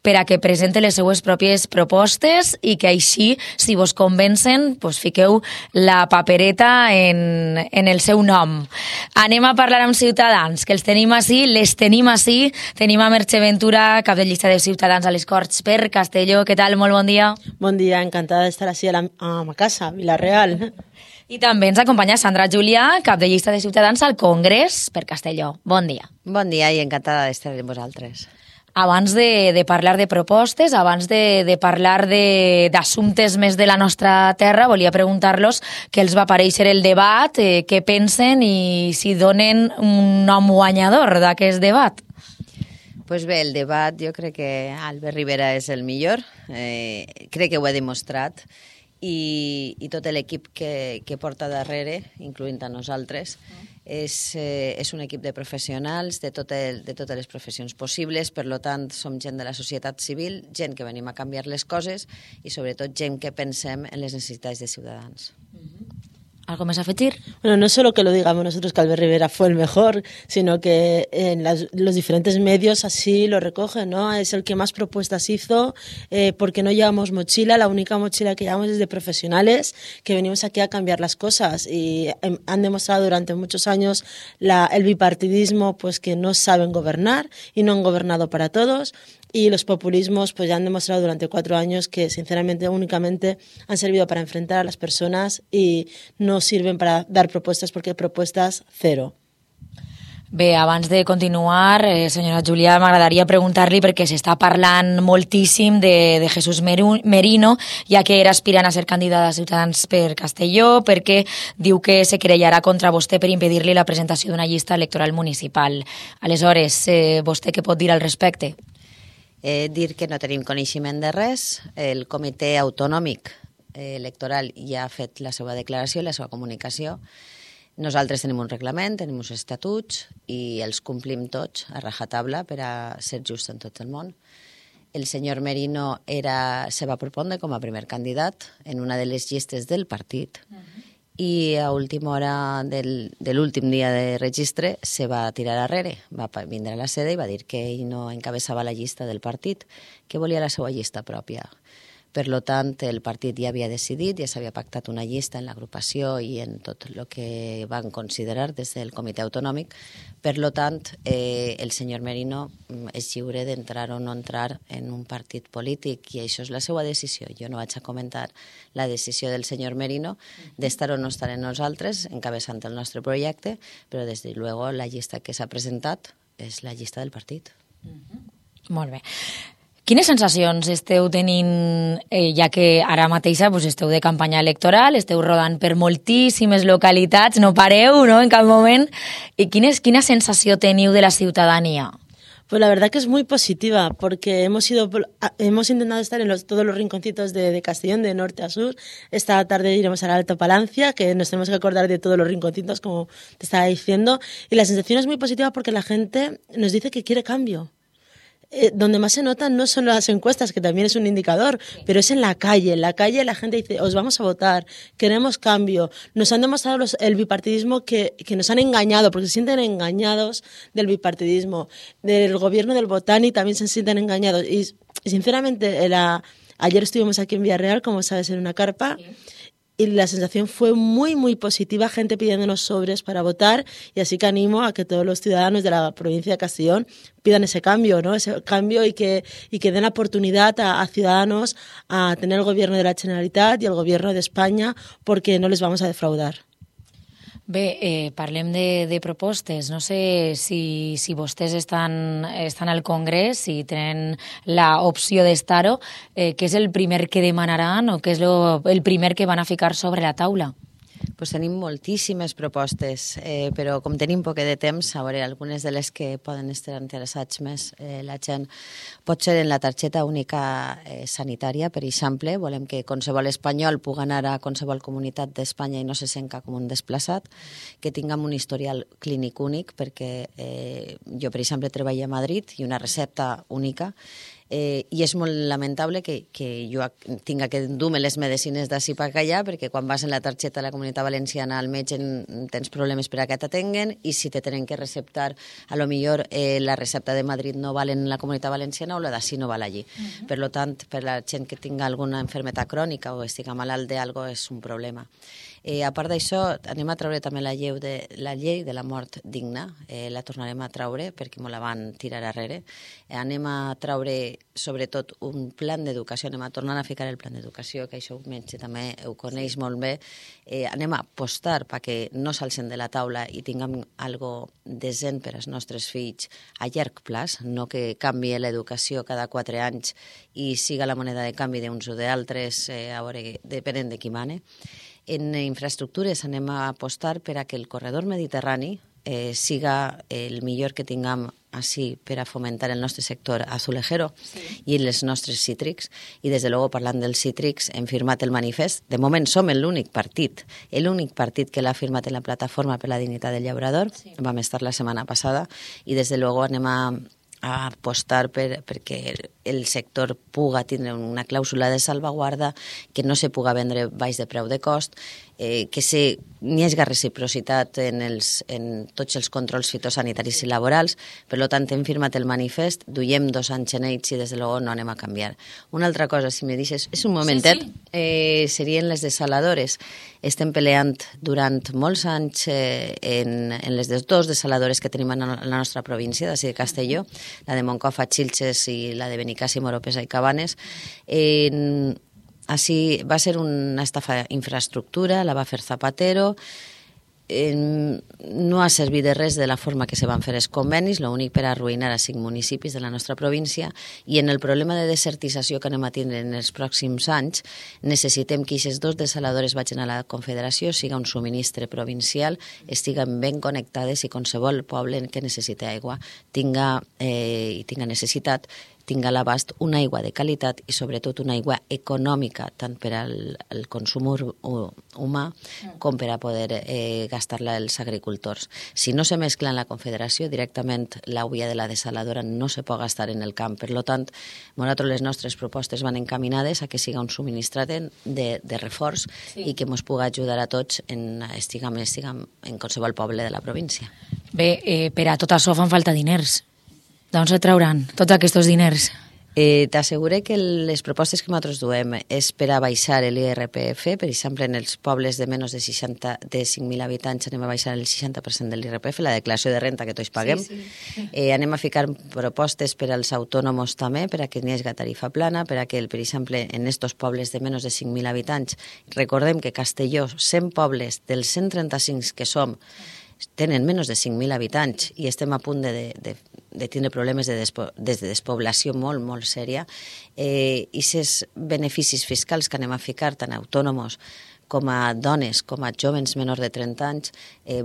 per a que presente les seues pròpies propostes i que així, si vos convencen, fiqueu la papereta en el seu nom. Anem a parlar amb Ciutadans, que els tenim ací, les tenim ací. Tenim a Merche Ventura, cap de llista de Ciutadans a les Corts per Castelló. Què tal? Molt bon dia. Bon dia, encantada d'estar ací a ma casa, Vila-real. I també ens acompanya Sandra Julià, cap de llista de Ciutadans al Congrés per Castelló. Bon dia. Bon dia i encantada d'estar amb vosaltres. Abans de parlar de propostes, abans de parlar d'assumptes més de la nostra terra, volia preguntar-los què els va aparèixer el debat, què pensen i si donen un nom guanyador d'aquest debat. Pues bé, el debat jo crec que Albert Rivera és el millor, crec que ho he demostrat i tot l'equip que porta darrere, incloent a nosaltres, és un equip de professionals de totes les professions possibles, per tant som gent de la societat civil, gent que venim a canviar les coses i sobretot gent que pensem en les necessitats de ciutadans. ¿Algo más a afegir? Bueno, no solo que lo digamos nosotros que Albert Rivera fue el mejor, sino que en los diferentes medios así lo recogen, ¿no? Es el que más propuestas hizo, porque no llevamos mochila, la única mochila que llevamos es de profesionales que venimos aquí a cambiar las cosas y han demostrado durante muchos años el bipartidismo pues que no saben gobernar y no han gobernado para todos. Y los populismos pues ya han demostrado durante 4 años que sinceramente únicamente han servido para enfrentar a las personas y no sirven para dar propuestas porque propuestas cero. Bé, abans de continuar, senyora Julià, m'agradaria preguntar-li perquè s'està parlant moltíssim de Jesús Merino, ja que era aspirant a ser candidat a Ciutadans per Castelló, perquè diu que se querellarà contra vostè per impedir-li la presentació d'una llista electoral municipal. Aleshores, vostè què pot dir al respecte? Dir que no tenim coneixement de res. El comitè autonòmic electoral ja ha fet la seva declaració, la seva comunicació. Nosaltres tenim un reglament, tenim uns estatuts i els complim tots a rajatabla per a ser just en tot el món. El senyor Merino se va propondre com a primer candidat en una de les llistes del partit i a última hora de l'últim dia de registre se va tirar arrere, va vindre a la sede i va dir que ell no encabeçava la llista del partit, que volia la seva llista pròpia. Per tant, el partit ja havia decidit, ja s'havia pactat una llista en l'agrupació i en tot el que van considerar des del comitè autonòmic. Per tant, el senyor Merino és lliure d'entrar o no entrar en un partit polític i això és la seva decisió. Jo no vaig a comentar la decisió del senyor Merino d'estar o no estar en nosaltres, encabeçant el nostre projecte, però des de luego la llista que s'ha presentat és la llista del partit. Molt bé. Quines sensacions esteu tenint, ja que ara mateixa esteu de campanya electoral, esteu rodant per moltíssimes localitats, no pareu, no?, en cap moment. I quina sensació teniu de la ciutadania? Pues la verdad que es muy positiva, porque hemos intentado estar en todos los rinconcitos de Castellón, de norte a sur. Esta tarde iremos al Alto Palancia, que nos tenemos que acordar de todos los rinconcitos, como te estaba diciendo. Y la sensación es muy positiva porque la gente nos dice que quiere cambio. Donde más se nota no son las encuestas, que también es un indicador, pero es en la calle. En la calle la gente dice, os vamos a votar, queremos cambio. Nos han demostrado el bipartidismo que nos han engañado, porque se sienten engañados del bipartidismo. Del gobierno del Botani también se sienten engañados. Y sinceramente, ayer estuvimos aquí en Villarreal, como sabes, en una carpa, y la sensación fue muy, muy positiva, gente pidiéndonos sobres para votar, y así que animo a que todos los ciudadanos de la provincia de Castellón pidan ese cambio, ¿no? Ese cambio y que den la oportunidad a ciudadanos a tener el gobierno de la Generalitat y el gobierno de España, porque no les vamos a defraudar. Bé, parlem de propostes. No sé si vostès estan al Congrés, si tenen l'opció d'estar-ho, què és el primer que demanaran o què és el primer que van a ficar sobre la taula? Pues tenim moltíssimes propostes, però com tenim poc de temps, a veure, algunes de les que poden estar interessats més la gent pot ser en la targeta única sanitària, per exemple. Volem que qualsevol espanyol pugui anar a qualsevol comunitat d'Espanya i no se senta com un desplaçat, que tinguem un historial clínic únic, perquè jo, per exemple, treballo a Madrid i una recepta única, I és molt lamentable que jo tinga que dur-me les medicines d'ací per allà, perquè quan vas en la targeta de la Comunitat Valenciana al metge tens problemes per a que t'atenguen, i si te tenen que receptar, a lo millor la recepta de Madrid no val en la Comunitat Valenciana o la d'ací no val allí. Per lo tant, per la gent que tinga alguna malaltia crònica o estiga malalt d'algo és un problema. A part d'això, anem a treure també la llei de la mort digna, la tornarem a treure perquè me la van tirar arrere. Anem a treure, sobretot, un plan d'educació, anem a tornar a ficar el plan d'educació, que això un metge també ho coneix molt bé. Anem a apostar perquè no s'alcen de la taula i tinguem algo decent per als nostres fills a llarg plaç, no que canvie l'educació cada 4 anys i siga la moneda de canvi d'uns o d'altres, a veure, depenent de qui mane. En infraestructures anem a apostar per a que el corredor mediterrani siga el millor que tinguem així per a fomentar el nostre sector azulejero i els nostres cítrics. I, des de luego, parlant dels cítrics, hem firmat el manifest. De moment som l'únic partit que l'ha firmat en la plataforma per la dignitat del llaurador. Vam estar la setmana passada i, des de luego, anem a apostar perquè el sector puga tindre una clàusula de salvaguarda, que no se puga vendre baix de preu de cost, que n'hi hagi reciprocitat en tots els controls fitosanitaris i laborals. Per tant, hem firmat el manifest, duiem 2 anys en ells i des de luego no anem a canviar. Una altra cosa, si me deixes, és un momentet, serien les desaladores. Estem peleant durant molts anys en les 2 desaladores que tenim en la nostra província, d'ací de Castelló, la de Moncofa, Xilxes i la de Benicàssim, Oropesa i Cabanes. Així va ser una estafa infraestructura, la va fer Zapatero, no ha servit de res de la forma que se van fer els convenis, l'únic per arruïnar a 5 municipis de la nostra província, i en el problema de desertització que anem a tindre en els pròxims anys necessitem que aquestes 2 desaladores vagin a la Confederació, siga un subministre provincial, estiguen ben connectades i qualsevol poble que necessita aigua tinga necessitat, tinga a l'abast una aigua de qualitat i sobretot una aigua econòmica, tant per al consum humà com per a poder gastar-la els agricultors. Si no se mescla en la Confederació, directament l'aigua de la desaladora no se pot gastar en el camp. Per tant, nosaltres les nostres propostes van encaminades a que siga un subministrat de reforç i que ens pugui ajudar a tots estiguem en qualsevol poble de la província. Bé, per a tot això fan falta diners. D'on se trauran tots aquests diners? T'asseguré que les propostes que nosaltres duem és per a baixar l'IRPF. Per exemple, en els pobles de menys de 5.000 habitants anem a baixar el 60% de l'IRPF, la declaració de renta que tots paguem. Anem a ficar propostes per als autònoms també, per a que n'hi hagi tarifa plana, per a que, per exemple, en aquests pobles de menys de 5.000 habitants, recordem que Castelló, 100 pobles dels 135 que som, tenen menys de 5.000 habitants i estem a punt de tindre problemes de despoblació molt, molt sèria. I aquests beneficis fiscals que anem a ficar, tant a autònoms com a dones, com a joves menors de 30 anys,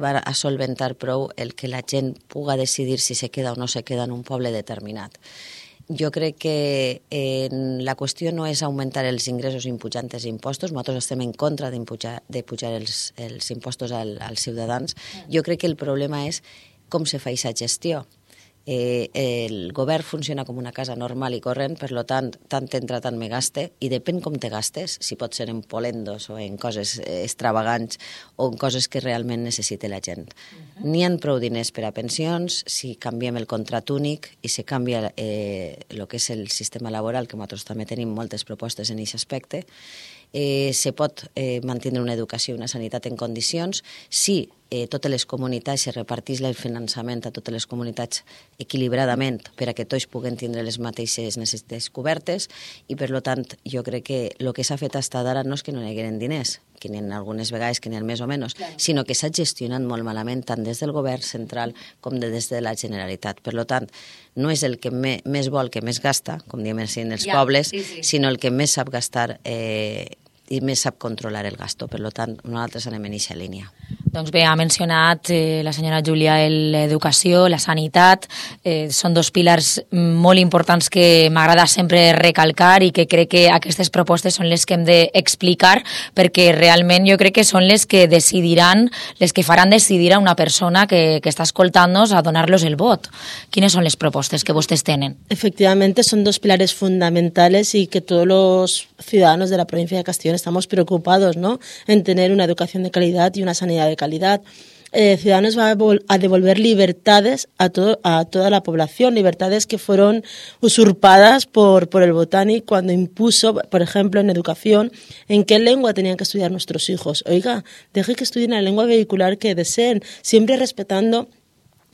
va a solventar prou el que la gent puga decidir si se queda o no se queda en un poble determinat. Jo crec que la qüestió no és augmentar els ingressos impujant els impostos. Nosaltres estem en contra de pujar els impostos als ciutadans. Jo crec que el problema és com se fa aquesta gestió. El govern funciona com una casa normal i corrent, per tant entra, tant me gaste, i depèn com te gastes, si pot ser en polendos o en coses extravagants o en coses que realment necessita la gent. N'hi ha prou diners per a pensions si canviem el contrat únic i se canvia el que és el sistema laboral, que nosaltres també tenim moltes propostes en aquest aspecte. Se pot mantenir una educació i una sanitat en condicions si totes les comunitats se repartís el finançament a totes les comunitats equilibradament per a que tots puguen tindre les mateixes necessitats cobertes, i per tant jo crec que el que s'ha fet fins ara no és que no hi hagueren diners, que n'hi ha algunes vegades que n'hi ha més o menys, sinó que s'ha gestionat molt malament tant des del govern central com des de la Generalitat. Per tant, no és el que més vol que més gasta, com diem així en els pobles, sinó el que més sap gastar i més sap controlar el gasto. Per tant, nosaltres anem en aquesta línia. Doncs bé, ha mencionat la senyora Júlia l'educació, la sanitat, són dos pilars molt importants que m'agrada sempre recalcar i que crec que aquestes propostes són les que hem d'explicar perquè realment jo crec que són les que decidiran, les que faran decidir a una persona que està escoltant-nos a donar-los el vot. Quines són les propostes que vostès tenen? Efectivamente, son dos pilares fundamentales y que todos los ciudadanos de la provincia de Castellón estamos preocupados, ¿no?, en tener una educación de calidad y una sanidad de calidad. Ciudadanos va a devolver libertades a toda la población, libertades que fueron usurpadas por el Botanic cuando impuso, por ejemplo, en educación, en qué lengua tenían que estudiar nuestros hijos. Oiga, deje que estudien la lengua vehicular que deseen, siempre respetando.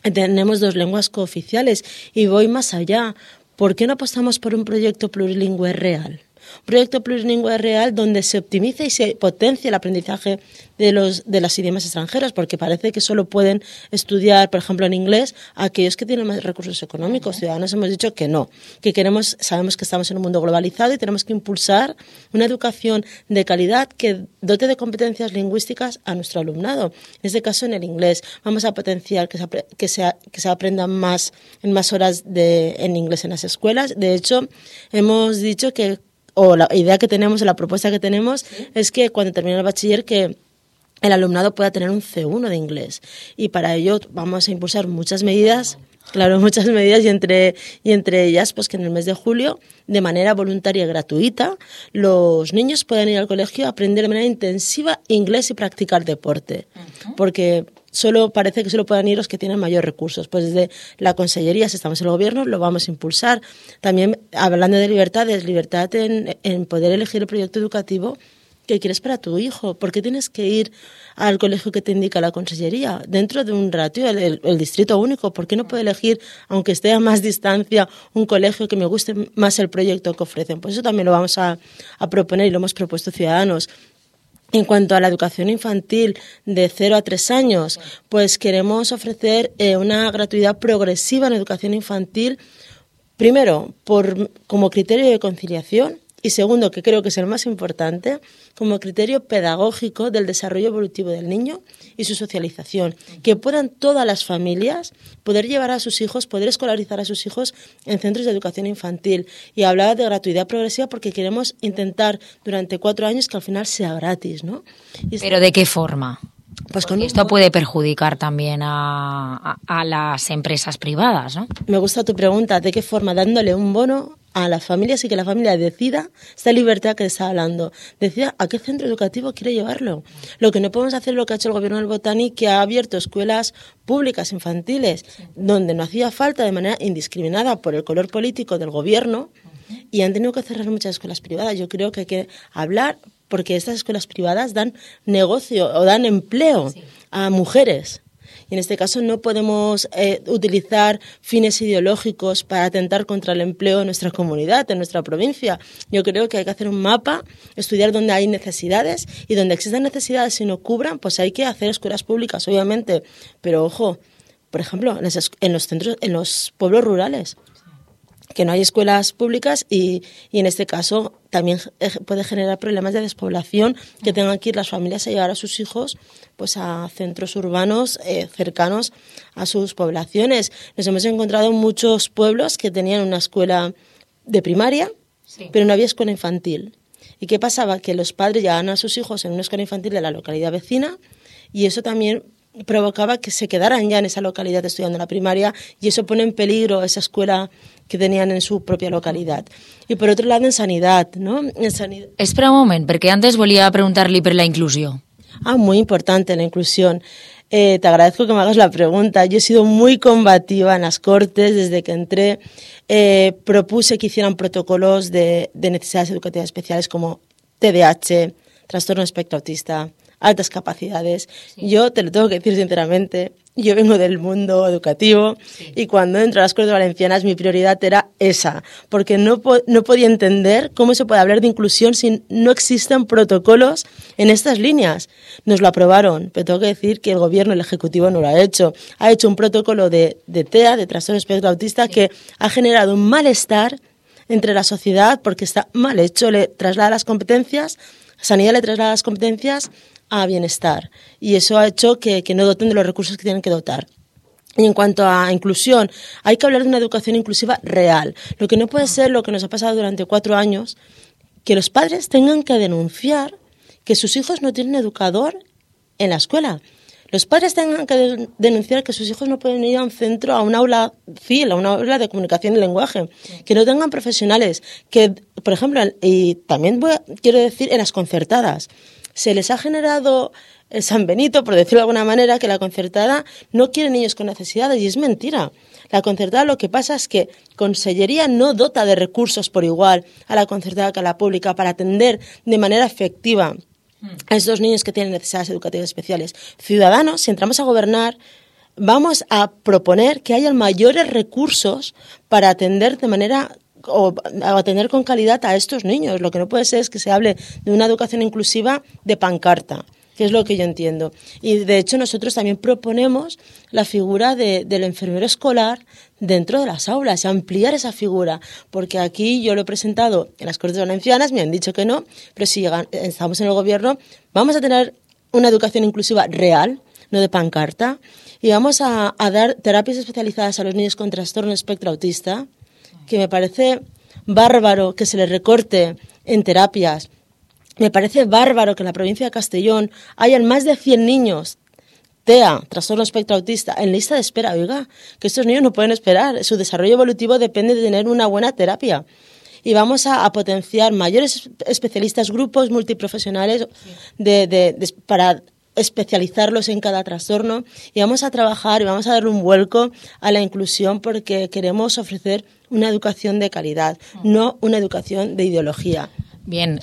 Tenemos 2 lenguas cooficiales y voy más allá. ¿Por qué no apostamos por un proyecto plurilingüe real? Un proyecto plurilingüe real donde se optimice y se potencie el aprendizaje de los idiomas extranjeros, porque parece que solo pueden estudiar, por ejemplo, en inglés aquellos que tienen más recursos económicos. Ciudadanos hemos dicho que no, que sabemos que estamos en un mundo globalizado y tenemos que impulsar una educación de calidad que dote de competencias lingüísticas a nuestro alumnado. En este caso, en el inglés. Vamos a potenciar que se aprendan en más horas en inglés en las escuelas. De hecho, hemos dicho que la idea que tenemos, la propuesta que tenemos, es que cuando termine el bachiller que el alumnado pueda tener un C1 de inglés. Y para ello vamos a impulsar muchas medidas, y entre ellas pues que en el mes de julio, de manera voluntaria y gratuita, los niños puedan ir al colegio a aprender de manera intensiva inglés y practicar deporte. Porque parece que solo puedan ir los que tienen mayores recursos. Pues desde la Consellería, si estamos en el Gobierno, lo vamos a impulsar. También, hablando de libertades, libertad en poder elegir el proyecto educativo que quieres para tu hijo. ¿Por qué tienes que ir al colegio que te indica la Consellería? Dentro de un ratio, el distrito único, ¿por qué no puedo elegir, aunque esté a más distancia, un colegio que me guste más el proyecto que ofrecen? Pues eso también lo vamos a proponer y lo hemos propuesto Ciudadanos. En cuanto a la educación infantil de 0 a 3 años, pues queremos ofrecer una gratuidad progresiva en educación infantil, primero, como criterio de conciliación, y segundo, que creo que es el más importante, como criterio pedagógico del desarrollo evolutivo del niño y su socialización. Que puedan todas las familias poder llevar a sus hijos, poder escolarizar a sus hijos en centros de educación infantil. Y hablaba de gratuidad progresiva porque queremos intentar durante 4 años que al final sea gratis, ¿no? ¿Pero de qué forma? Pues esto puede perjudicar también a las empresas privadas, ¿no? Me gusta tu pregunta. ¿De qué forma? Dándole un bono a las familias y que la familia decida, esta libertad que está hablando, decida a qué centro educativo quiere llevarlo. Lo que no podemos hacer es lo que ha hecho el Gobierno del Botanic, que ha abierto escuelas públicas infantiles donde no hacía falta de manera indiscriminada por el color político del Gobierno y han tenido que cerrar muchas escuelas privadas. Yo creo que hay que hablar porque estas escuelas privadas dan negocio o dan empleo a mujeres. Y en este caso no podemos utilizar fines ideológicos para atentar contra el empleo en nuestra comunidad, en nuestra provincia. Yo creo que hay que hacer un mapa, estudiar dónde hay necesidades y donde existan necesidades y no cubran, pues hay que hacer escuelas públicas, obviamente. Pero ojo, por ejemplo, en los centros, en los pueblos rurales, que no hay escuelas públicas y en este caso también puede generar problemas de despoblación, que tengan que ir las familias a llevar a sus hijos pues a centros urbanos cercanos a sus poblaciones. Nos hemos encontrado muchos pueblos que tenían una escuela de primaria, pero no había escuela infantil. ¿Y qué pasaba? Que los padres llevaban a sus hijos en una escuela infantil de la localidad vecina y eso también provocaba que se quedaran ya en esa localidad estudiando la primaria y eso pone en peligro esa escuela que tenían en su propia localidad. Y por otro lado, en sanidad, ¿no? Espera un moment, perquè antes volia preguntar-li per la inclusió. Muy importante la inclusión. Te agradezco que me hagas la pregunta. Yo he sido muy combativa en las Cortes desde que entré. Propuse que hicieran protocolos de necesidades educativas especiales como TDAH, trastorno espectro autista, altas capacidades. Yo te lo tengo que decir sinceramente, yo vengo del mundo educativo y cuando entro a las Cortes Valencianas mi prioridad era esa, porque no podía entender cómo se puede hablar de inclusión si no existen protocolos en estas líneas. Nos lo aprobaron, pero tengo que decir que el Gobierno, el Ejecutivo no lo ha hecho. Ha hecho un protocolo de TEA, de trastorno espectro autista, que ha generado un malestar entre la sociedad porque está mal hecho, le traslada las competencias, Sanidad le traslada las competencias a bienestar. Y eso ha hecho que no doten de los recursos que tienen que dotar. Y en cuanto a inclusión, hay que hablar de una educación inclusiva real. Lo que no puede ser lo que nos ha pasado durante 4 años, que los padres tengan que denunciar que sus hijos no tienen educador en la escuela. Los padres tengan que denunciar que sus hijos no pueden ir a un centro, a un aula CIL, a una aula de comunicación y lenguaje, que no tengan profesionales, que, por ejemplo, y también quiero decir, en las concertadas, se les ha generado el San Benito, por decirlo de alguna manera, que la concertada no quiere niños con necesidades, y es mentira. La concertada lo que pasa es que Consellería no dota de recursos por igual a la concertada que a la pública para atender de manera efectiva a estos niños que tienen necesidades educativas especiales. Ciudadanos, si entramos a gobernar, vamos a proponer que haya mayores recursos para atender de manera o atender con calidad a estos niños. Lo que no puede ser es que se hable de una educación inclusiva de pancarta, que es lo que yo entiendo. Y de hecho nosotros también proponemos la figura del enfermero escolar dentro de las aulas, ampliar esa figura, porque aquí yo lo he presentado en las Cortes Valencianas, me han dicho que no, pero si estamos en el gobierno, vamos a tener una educación inclusiva real, no de pancarta, y vamos a dar terapias especializadas a los niños con trastorno espectro autista, que me parece bárbaro que se les recorte en terapias. Me parece bárbaro que en la provincia de Castellón hayan más de 100 niños TEA, trastorno espectro autista, en lista de espera. Oiga, que estos niños no pueden esperar. Su desarrollo evolutivo depende de tener una buena terapia. Y vamos a potenciar mayores especialistas, grupos multiprofesionales para especializarlos en cada trastorno. Y vamos a trabajar y vamos a darle un vuelco a la inclusión porque queremos ofrecer una educación de calidad, no una educación de ideología. Bien,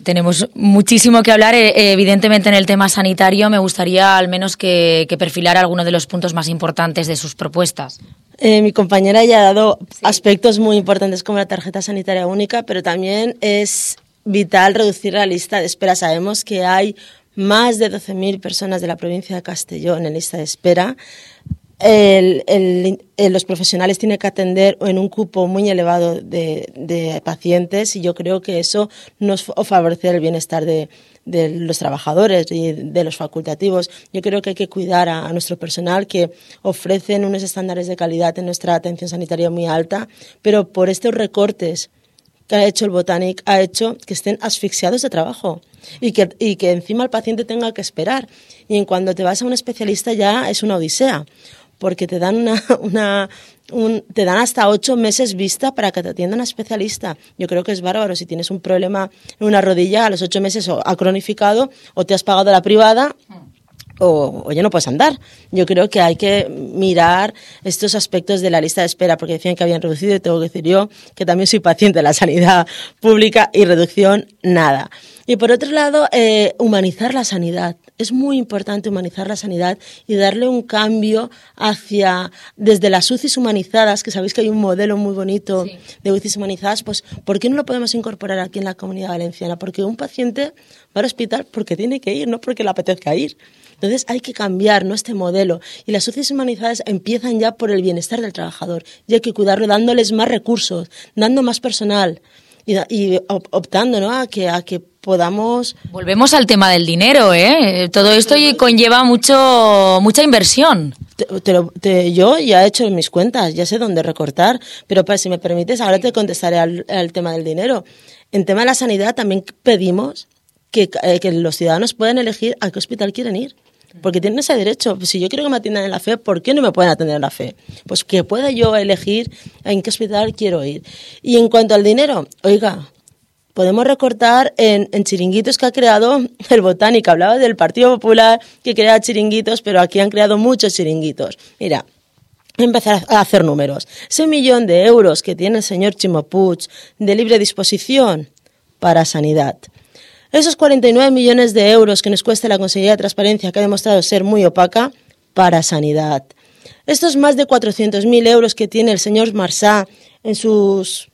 tenemos muchísimo que hablar. Evidentemente en el tema sanitario me gustaría al menos que perfilara algunos de los puntos más importantes de sus propuestas. Mi compañera ya ha dado aspectos muy importantes como la tarjeta sanitaria única, pero también es vital reducir la lista de espera. Sabemos que hay más de 12.000 personas de la provincia de Castellón en lista de espera. Los profesionales tienen que atender en un cupo muy elevado de pacientes y yo creo que eso nos favorece el bienestar de los trabajadores y de los facultativos. Yo creo que hay que cuidar a nuestro personal que ofrecen unos estándares de calidad en nuestra atención sanitaria muy alta, pero por estos recortes que ha hecho el Botanic ha hecho que estén asfixiados de trabajo y que encima el paciente tenga que esperar. Y en cuando te vas a un especialista ya es una odisea, porque te dan te dan hasta 8 meses vista para que te atienda un especialista. Yo creo que es bárbaro. Si tienes un problema en una rodilla, a los 8 meses o ha cronificado o te has pagado la privada o ya no puedes andar. Yo creo que hay que mirar estos aspectos de la lista de espera, porque decían que habían reducido y tengo que decir yo que también soy paciente de la sanidad pública y reducción nada. Y por otro lado, humanizar la sanidad. Es muy importante humanizar la sanidad y darle un cambio desde las UCIs humanizadas, que sabéis que hay un modelo muy bonito de UCIs humanizadas, pues ¿por qué no lo podemos incorporar aquí en la Comunidad Valenciana? Porque un paciente va al hospital porque tiene que ir, no porque le apetezca ir. Entonces hay que cambiar, ¿no?, este modelo. Y las UCIs humanizadas empiezan ya por el bienestar del trabajador. Y hay que cuidarlo dándoles más recursos, dando más personal y optando, ¿no?, a que podamos... Volvemos al tema del dinero, ¿eh? Todo esto conlleva mucha inversión. Yo ya he hecho mis cuentas, ya sé dónde recortar, pero si me permites, ahora te contestaré al tema del dinero. En tema de la sanidad también pedimos que los ciudadanos puedan elegir a qué hospital quieren ir. Porque tienen ese derecho. Si yo quiero que me atiendan en la FE, ¿por qué no me pueden atender en la FE? Pues que pueda yo elegir en qué hospital quiero ir. Y en cuanto al dinero, oiga, podemos recortar en chiringuitos que ha creado el Botánico. Hablaba del Partido Popular que crea chiringuitos, pero aquí han creado muchos chiringuitos. Mira, empezar a hacer números. Ese 1.000.000 de euros que tiene el señor Ximo Puig de libre disposición para sanidad. Esos 49 millones de euros que nos cuesta la Consellería de Transparencia, que ha demostrado ser muy opaca, para sanidad. Estos más de 400.000 euros que tiene el señor Marsá en sus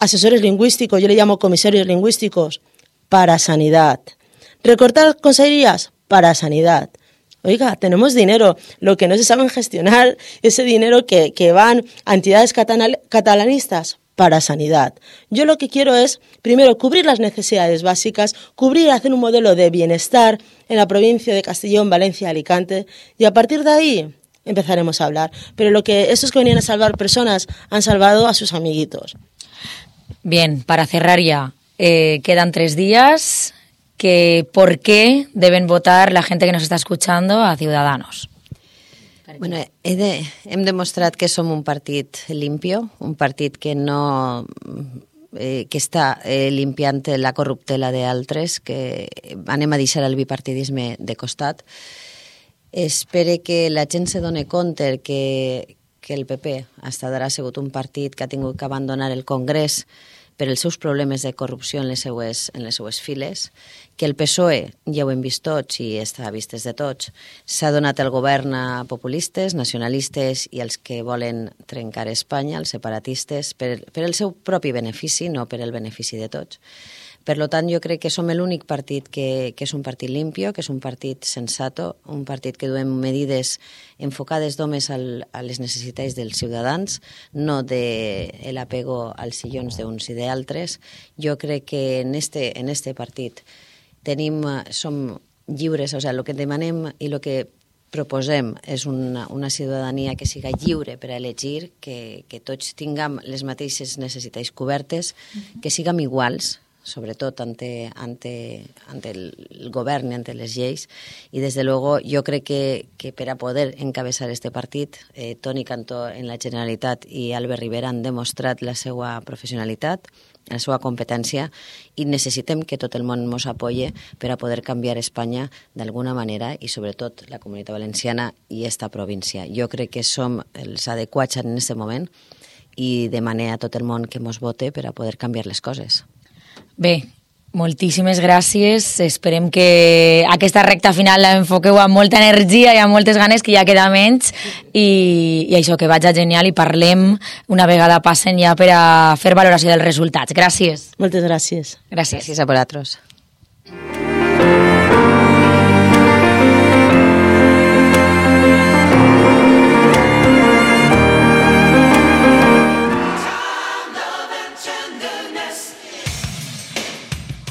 asesores lingüísticos, yo le llamo comisarios lingüísticos, para sanidad. Recortar consellerías para sanidad. Oiga, tenemos dinero, lo que no se saben gestionar, ese dinero que van a entidades catalanistas para sanidad. Yo lo que quiero es, primero, cubrir las necesidades básicas, hacer un modelo de bienestar en la provincia de Castellón, Valencia, Alicante, y a partir de ahí empezaremos a hablar. Pero esos que venían a salvar personas han salvado a sus amiguitos. Bien, para cerrar ya, quedan 3 días. ¿Por qué deben votar la gente que nos està escuchando a Ciudadanos? Bueno, hem demostrat que som un partit limpio, un partit que no que està limpiant la corruptela d'altres, que anem a deixar el bipartidisme de costat. Espere que la gent se doni compte que el PP hasta ara ha sigut un partit que ha tingut que abandonar el Congrés per els seus problemes de corrupció en les seues files, que el PSOE, ja ho hem vist tots i està a vistes de tots, s'ha donat el govern a populistes, nacionalistes i els que volen trencar Espanya, els separatistes, per el seu propi benefici, no per el benefici de tots. Per tant, jo crec que som l'únic partit que és un partit limpio, que és un partit sensato, un partit que duem medides enfocades només a les necessitats dels ciutadans, no del apego als sillons d'uns i d'altres. Jo crec que en este partit som lliures, o sigui, el que demanem i el que proposem és una ciutadania que siga lliure per a elegir, que tots tinguem les mateixes necessitats cobertes, que siguem iguals, sobretot ante el govern i ante les lleis, i des de luego jo crec que per a poder encabezar este partit, Toni Cantó en la Generalitat i Albert Rivera han demostrat la seva professionalitat, la seva competència, i necessitem que tot el món ens apoye per a poder canviar Espanya d'alguna manera, i sobretot la Comunitat Valenciana i esta província. Jo crec que som els adequats en aquest moment i demanem a tot el món que ens vote per a poder canviar les coses. Bé, moltíssimes gràcies. Esperem que aquesta recta final la enfoqueu amb molta energia i amb moltes ganes, que ja queda menys, i això, que vaig genial, i parlem una vegada passen ja per a fer valoració dels resultats. Gràcies. Moltes gràcies. Gràcies a vosaltres.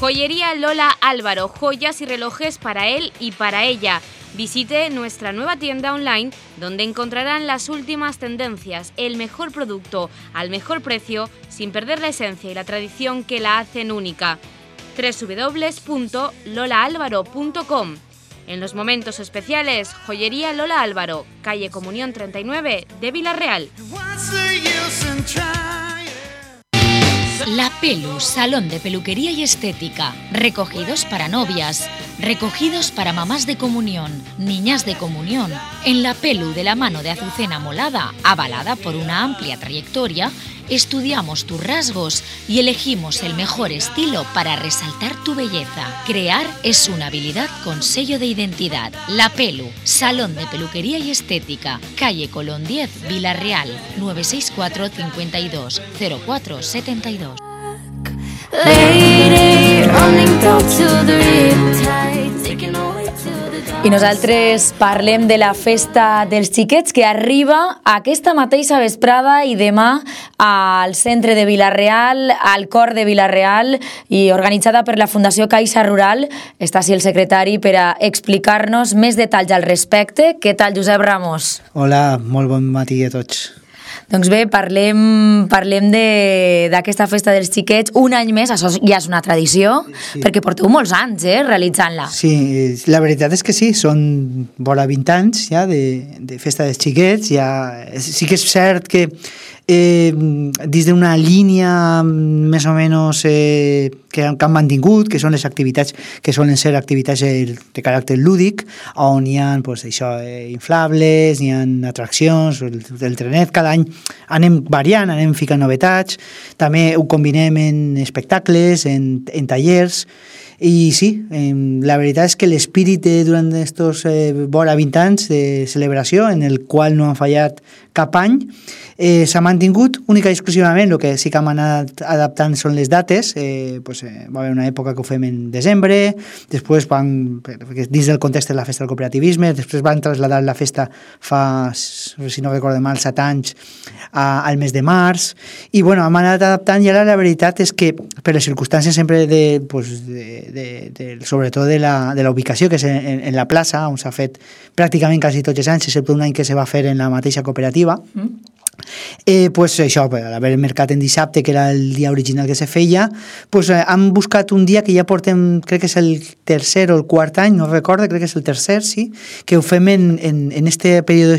Joyería Lola Álvaro, joyas y relojes para él y para ella. Visite nuestra nueva tienda online donde encontrarán las últimas tendencias, el mejor producto al mejor precio, sin perder la esencia y la tradición que la hacen única. www.lolaalvaro.com. En los momentos especiales, Joyería Lola Álvaro, calle Comunión 39 de Vila-real. La Pelu, salón de peluquería y estética. Recogidos para novias, recogidos para mamás de comunión, niñas de comunión. En La Pelu, de la mano de Azucena Molada, avalada por una amplia trayectoria, estudiamos tus rasgos y elegimos el mejor estilo para resaltar tu belleza. Crear es una habilidad con sello de identidad. La Pelu, salón de peluquería y estética, calle Colón 10, Vila-real, 964 52 04 72. I nosaltres parlem de la festa dels xiquets, que arriba aquesta mateixa vesprada i demà al centre de Vila-real, al cor de Vila-real, i organitzada per la Fundació Caixa Rural. Està així el secretari per a explicar-nos més detalls al respecte. Què tal, Josep Ramos? Hola, molt bon matí a tots. Doncs bé, parlem d'aquesta festa dels xiquets un any més. Això ja és una tradició, sí, perquè porteu molts anys realitzant-la. Sí, la veritat és que sí, són vora 20 anys ja de festa dels xiquets. Ja, sí que és cert que dins d'una línia més o menys que han mantingut, que són les activitats que solen ser activitats de caràcter lúdic, on hi ha inflables, hi ha atraccions, el trenet. Cada any anem variant, anem ficant novetats, també ho combinem en espectacles, en tallers. I sí, la veritat és que l'espírit durant estos vora 20 anys de celebració, en el qual no han fallat cap any. S'ha mantingut única i exclusivament, el que sí que hem anat adaptant són les dates. Va haver una època que ho fem en desembre, després dins del context de la festa del cooperativisme, després van traslladar la festa fa, si no recordo mal, 7 anys al mes de març, i bueno, hem anat adaptant, i ara la veritat és que per les circumstàncies sempre sobretot de la ubicació, que és en la plaça, on s'ha fet pràcticament quasi tots els anys, excepte un any que se va fer en la mateixa cooperativa. Això, a l'haver el mercat en dissabte, que era el dia original que se feia, hem buscat un dia que ja portem, crec que és el tercer o el quart any, no recordo, crec que és el tercer, sí, que ho fem en este període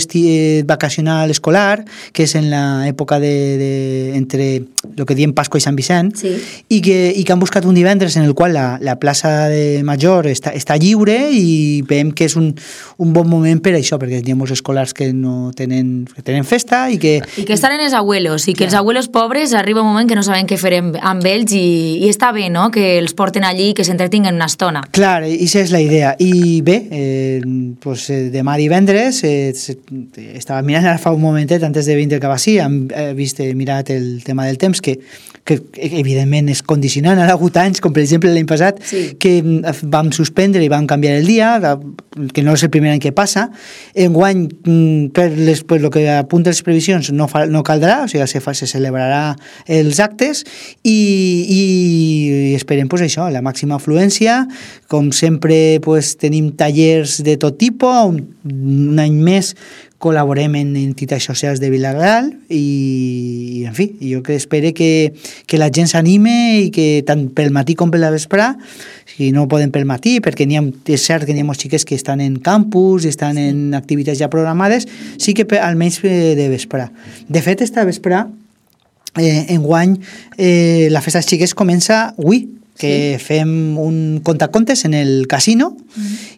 vacacional escolar, que és en l'època entre el que diem Pasqua i Sant Vicent, sí. i que hem buscat un divendres en el qual la plaça de Major està lliure, i veiem que és un bon moment per això, perquè hi ha molts escolars que no tenen festa, i que estan en els abuelos, i que els abuelos pobres arriba un moment que no saben què fer amb ells, i està bé, no?, que els porten allí i que s'entretinguen una estona. Clar, i aquesta és la idea. I bé, demà divendres, estava mirant ara fa un momentet, antes de venir cap així, hem mirat el tema del temps, que evidentment és condicionant. Ha hagut anys, com per exemple l'any passat, sí, que vam suspendre i vam canviar el dia, que no és el primer any que passa. Enguany, per el que apunta les previsions, no caldrà, o sigui, se celebrarà els actes, i esperem això, la màxima afluència. Com sempre tenim tallers de tot tipus, un any més col·laborem en entitats socials de Vila-real, i en fi, jo espero que la gent s'anime, i que tant pel matí com per la vesprà, si no poden pel matí, perquè és cert que n'hi ha molts xiquets que estan en campus i estan en activitats ja programades, sí que almenys de vesprà. De fet, esta vesprà, enguany, la festa dels xiquets comença avui, que fem un contacontes en el casino,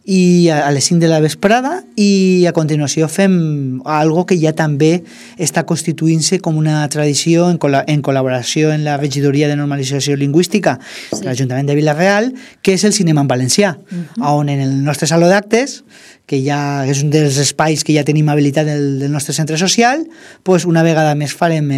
i a les 5 de la vesprada, i a continuació fem algo que ja també està constituint-se com una tradició en col·laboració en la regidoria de normalització lingüística de l'Ajuntament de Vila-real, que és el cinema en valencià, on en el nostre saló d'actes, que ja és un dels espais que ja tenim habilitat del nostre centre social, una vegada més farem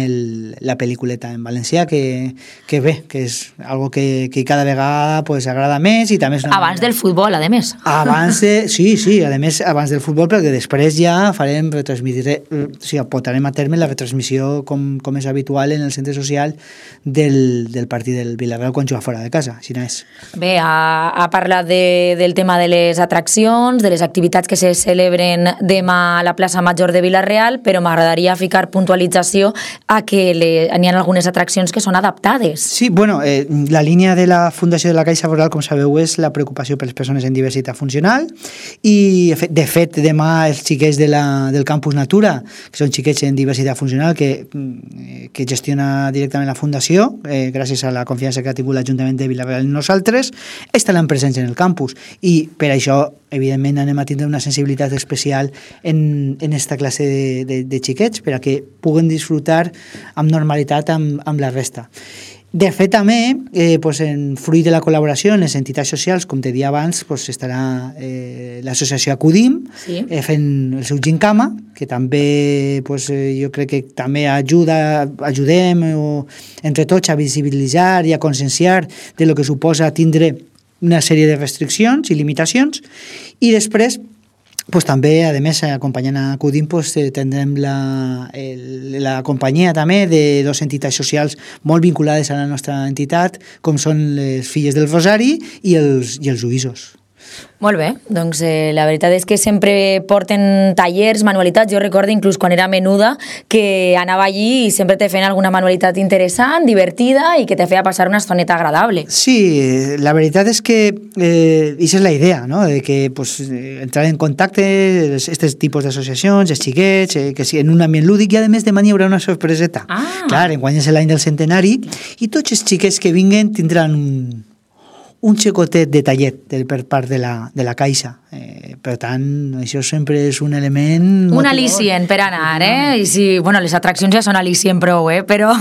la pel·lículeta en valencià, que bé, que és algo que cada vegada agrada més, i també és abans del futbol, a més. Sí, a més, abans del futbol, perquè després ja farem portarem a terme la retransmissió com és habitual en el centre social del partit del Vila-real quan juga fora de casa, així no és. Bé, ha parlat del tema de les atraccions, de les activitats que se celebren demà a la plaça Major de Vila-real, però m'agradaria ficar puntualització a que n'hi ha algunes atraccions que són adaptades. Sí, la línia de la Fundació de la Caixa Foral, com sabeu, és la preocupació per les persones en diversitat funcional, i de fet demà els xiquets del Campus Natura, que són xiquets en diversitat funcional que gestiona directament la Fundació, gràcies a la confiança que ha tingut l'Ajuntament de Vila-real en nosaltres, estaran presents en el campus, i per això evidentment anem a tindre una sensibilitat especial en esta classe de xiquets, per a que puguen disfrutar amb normalitat amb la resta. De fet, també, en fruit de la col·laboració en les entitats socials, com te dia abans, estarà l'associació Acudim, fent el seu gincama, que també jo crec que també ajudem entre tots a visibilitzar i a conscienciar de lo que suposa tindre una sèrie de restriccions i limitacions, i després també, a més, acompanyant a Acudim, tindrem la companyia també de dues entitats socials molt vinculades a la nostra entitat, com són les Filles del Rosari i els Uïsos. Molt bé, doncs la veritat és que sempre porten tallers, manualitats. Jo recordo inclús quan era menuda que anava allí i sempre te feien alguna manualitat interessant, divertida, i que te feia passar una estoneta agradable. Sí, la veritat és que això és la idea, no? De que entrar en contacte aquests tipus d'associacions, els xiquets, que sí, en un ambient lúdic, i a més demà hi haurà una sorpreseta. Clar, enguany és l'any del centenari, i tots els xiquets que vinguen tindran un xicotet de tallet per part de la Caixa. Per tant, això sempre és un element... Un al·licient per anar, I sí, les atraccions ja són al·licient prou, però...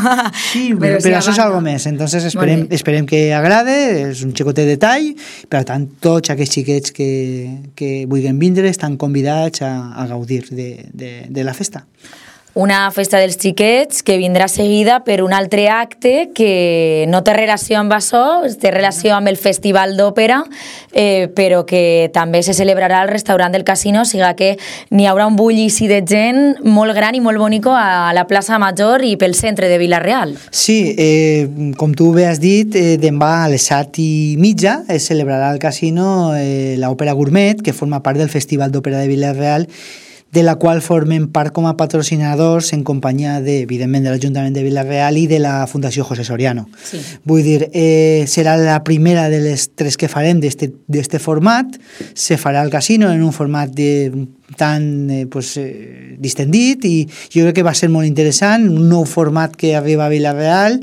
Sí, però això és algo més. Entonces esperem que agrade, és un xicotet de tall, per tant, tots aquests xiquets que vulguin vindre estan convidats a gaudir de la festa. Una festa dels xiquets que vindrà seguida per un altre acte que no té relació amb això, té relació amb el Festival d'Òpera, però que també se celebrarà al restaurant del Casino, o sigui que n'hi haurà un bullici de gent molt gran i molt bonico a la plaça Major i pel centre de Vila-real. Sí, com tu bé has dit, demà a les 7:30 es celebrarà al Casino l'Òpera Gourmet, que forma part del Festival d'Òpera de Vila-real, de la qual formen part com a patrocinadors en companyia, evidentment, de l'Ajuntament de Vila-real i de la Fundació José Soriano. Sí. Vull dir, serà la primera de les 3 que farem d'este format. Se farà al Casino en un format tan distendit i jo crec que va ser molt interessant, un nou format que arriba a Vila-real.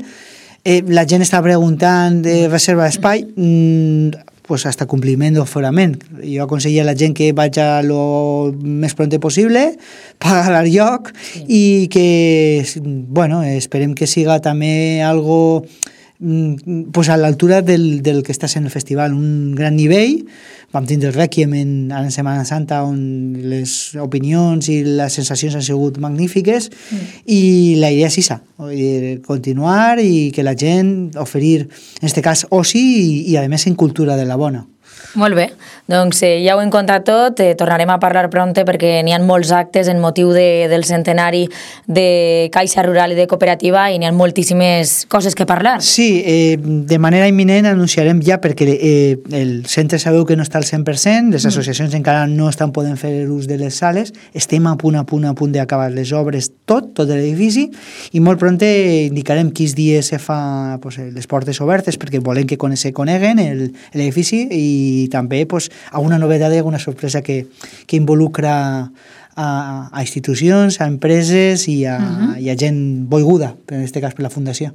La gent està preguntant de reserva d'espai, hasta compliment d'aforament. Jo aconsello a la gent que vaig lo més pronte possible, pagar el lloc i que, esperem que siga també algo a l'altura del que està sent el festival, un gran nivell. Vam tindre el Rèquiem en Setmana Santa, on les opinions i les sensacions han sigut magnífiques, i la idea és això, continuar i que la gent oferir, en aquest cas, oci i a més en cultura de la bona. Molt bé, doncs ja ho hem contat tot, tornarem a parlar prompte perquè n'hi ha molts actes en motiu del centenari de Caixa Rural i de Cooperativa i n'hi ha moltíssimes coses que parlar. Sí, de manera imminent anunciarem ja, perquè el centre sabeu que no està al 100%, les associacions encara no estan podent fer ús de les sales, estem a punt d'acabar les obres, tot l'edifici, i molt prompte indicarem quins dies se fa les portes obertes perquè volem que se coneguen l'edifici i també alguna novetat i alguna sorpresa que involucra a institucions, a empreses i a gent volguda, en aquest cas per la Fundació.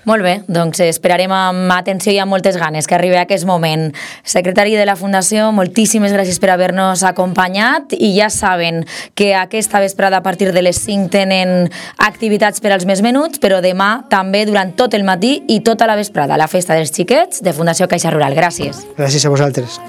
Molt bé, doncs esperarem amb atenció i amb moltes ganes que arribi aquest moment. Secretari de la Fundació, moltíssimes gràcies per haver-nos acompanyat i ja saben que aquesta vesprada a partir de les 5 tenen activitats per als més menuts, però demà també durant tot el matí i tota la vesprada la festa dels xiquets de Fundació Caixa Rural. Gràcies. Gràcies a vosaltres.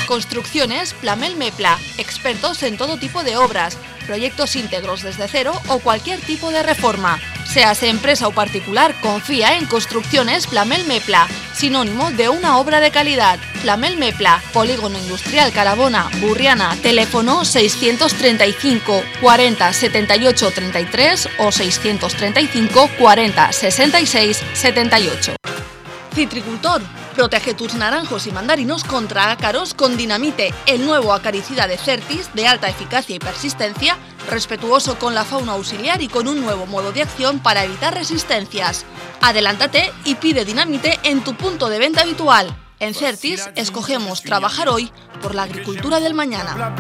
Construcciones Plamel Mepla, expertos en todo tipo de obras, proyectos íntegros desde cero o cualquier tipo de reforma. Seas empresa o particular, confía en Construcciones Plamel Mepla, sinónimo de una obra de calidad. Plamel Mepla, Polígono Industrial Carabona, Burriana, teléfono 635 40 78 33 o 635 40 66 78. Citricultor, protege tus naranjos y mandarinos contra ácaros con Dinamite, el nuevo acaricida de Certis de alta eficacia y persistencia, respetuoso con la fauna auxiliar y con un nuevo modo de acción para evitar resistencias. Adelántate y pide Dinamite en tu punto de venta habitual. En Certis escogemos trabajar hoy por la agricultura del mañana.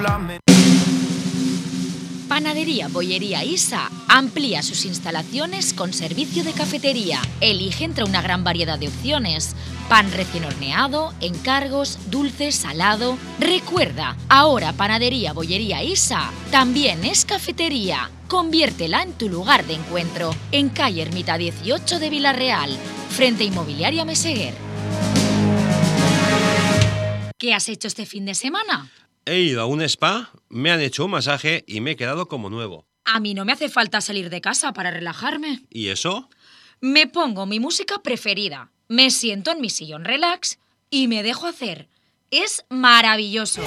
Panadería Bollería Isa amplía sus instalaciones con servicio de cafetería. Elige entre una gran variedad de opciones. Pan recién horneado, encargos, dulce, salado. Recuerda, ahora Panadería Bollería Isa también es cafetería. Conviértela en tu lugar de encuentro. En calle Ermita 18 de Vila-real, frente a Inmobiliaria Meseguer. ¿Qué has hecho este fin de semana? He ido a un spa, me han hecho un masaje y me he quedado como nuevo. A mí no me hace falta salir de casa para relajarme. ¿Y eso? Me pongo mi música preferida, me siento en mi sillón relax y me dejo hacer. Es maravilloso.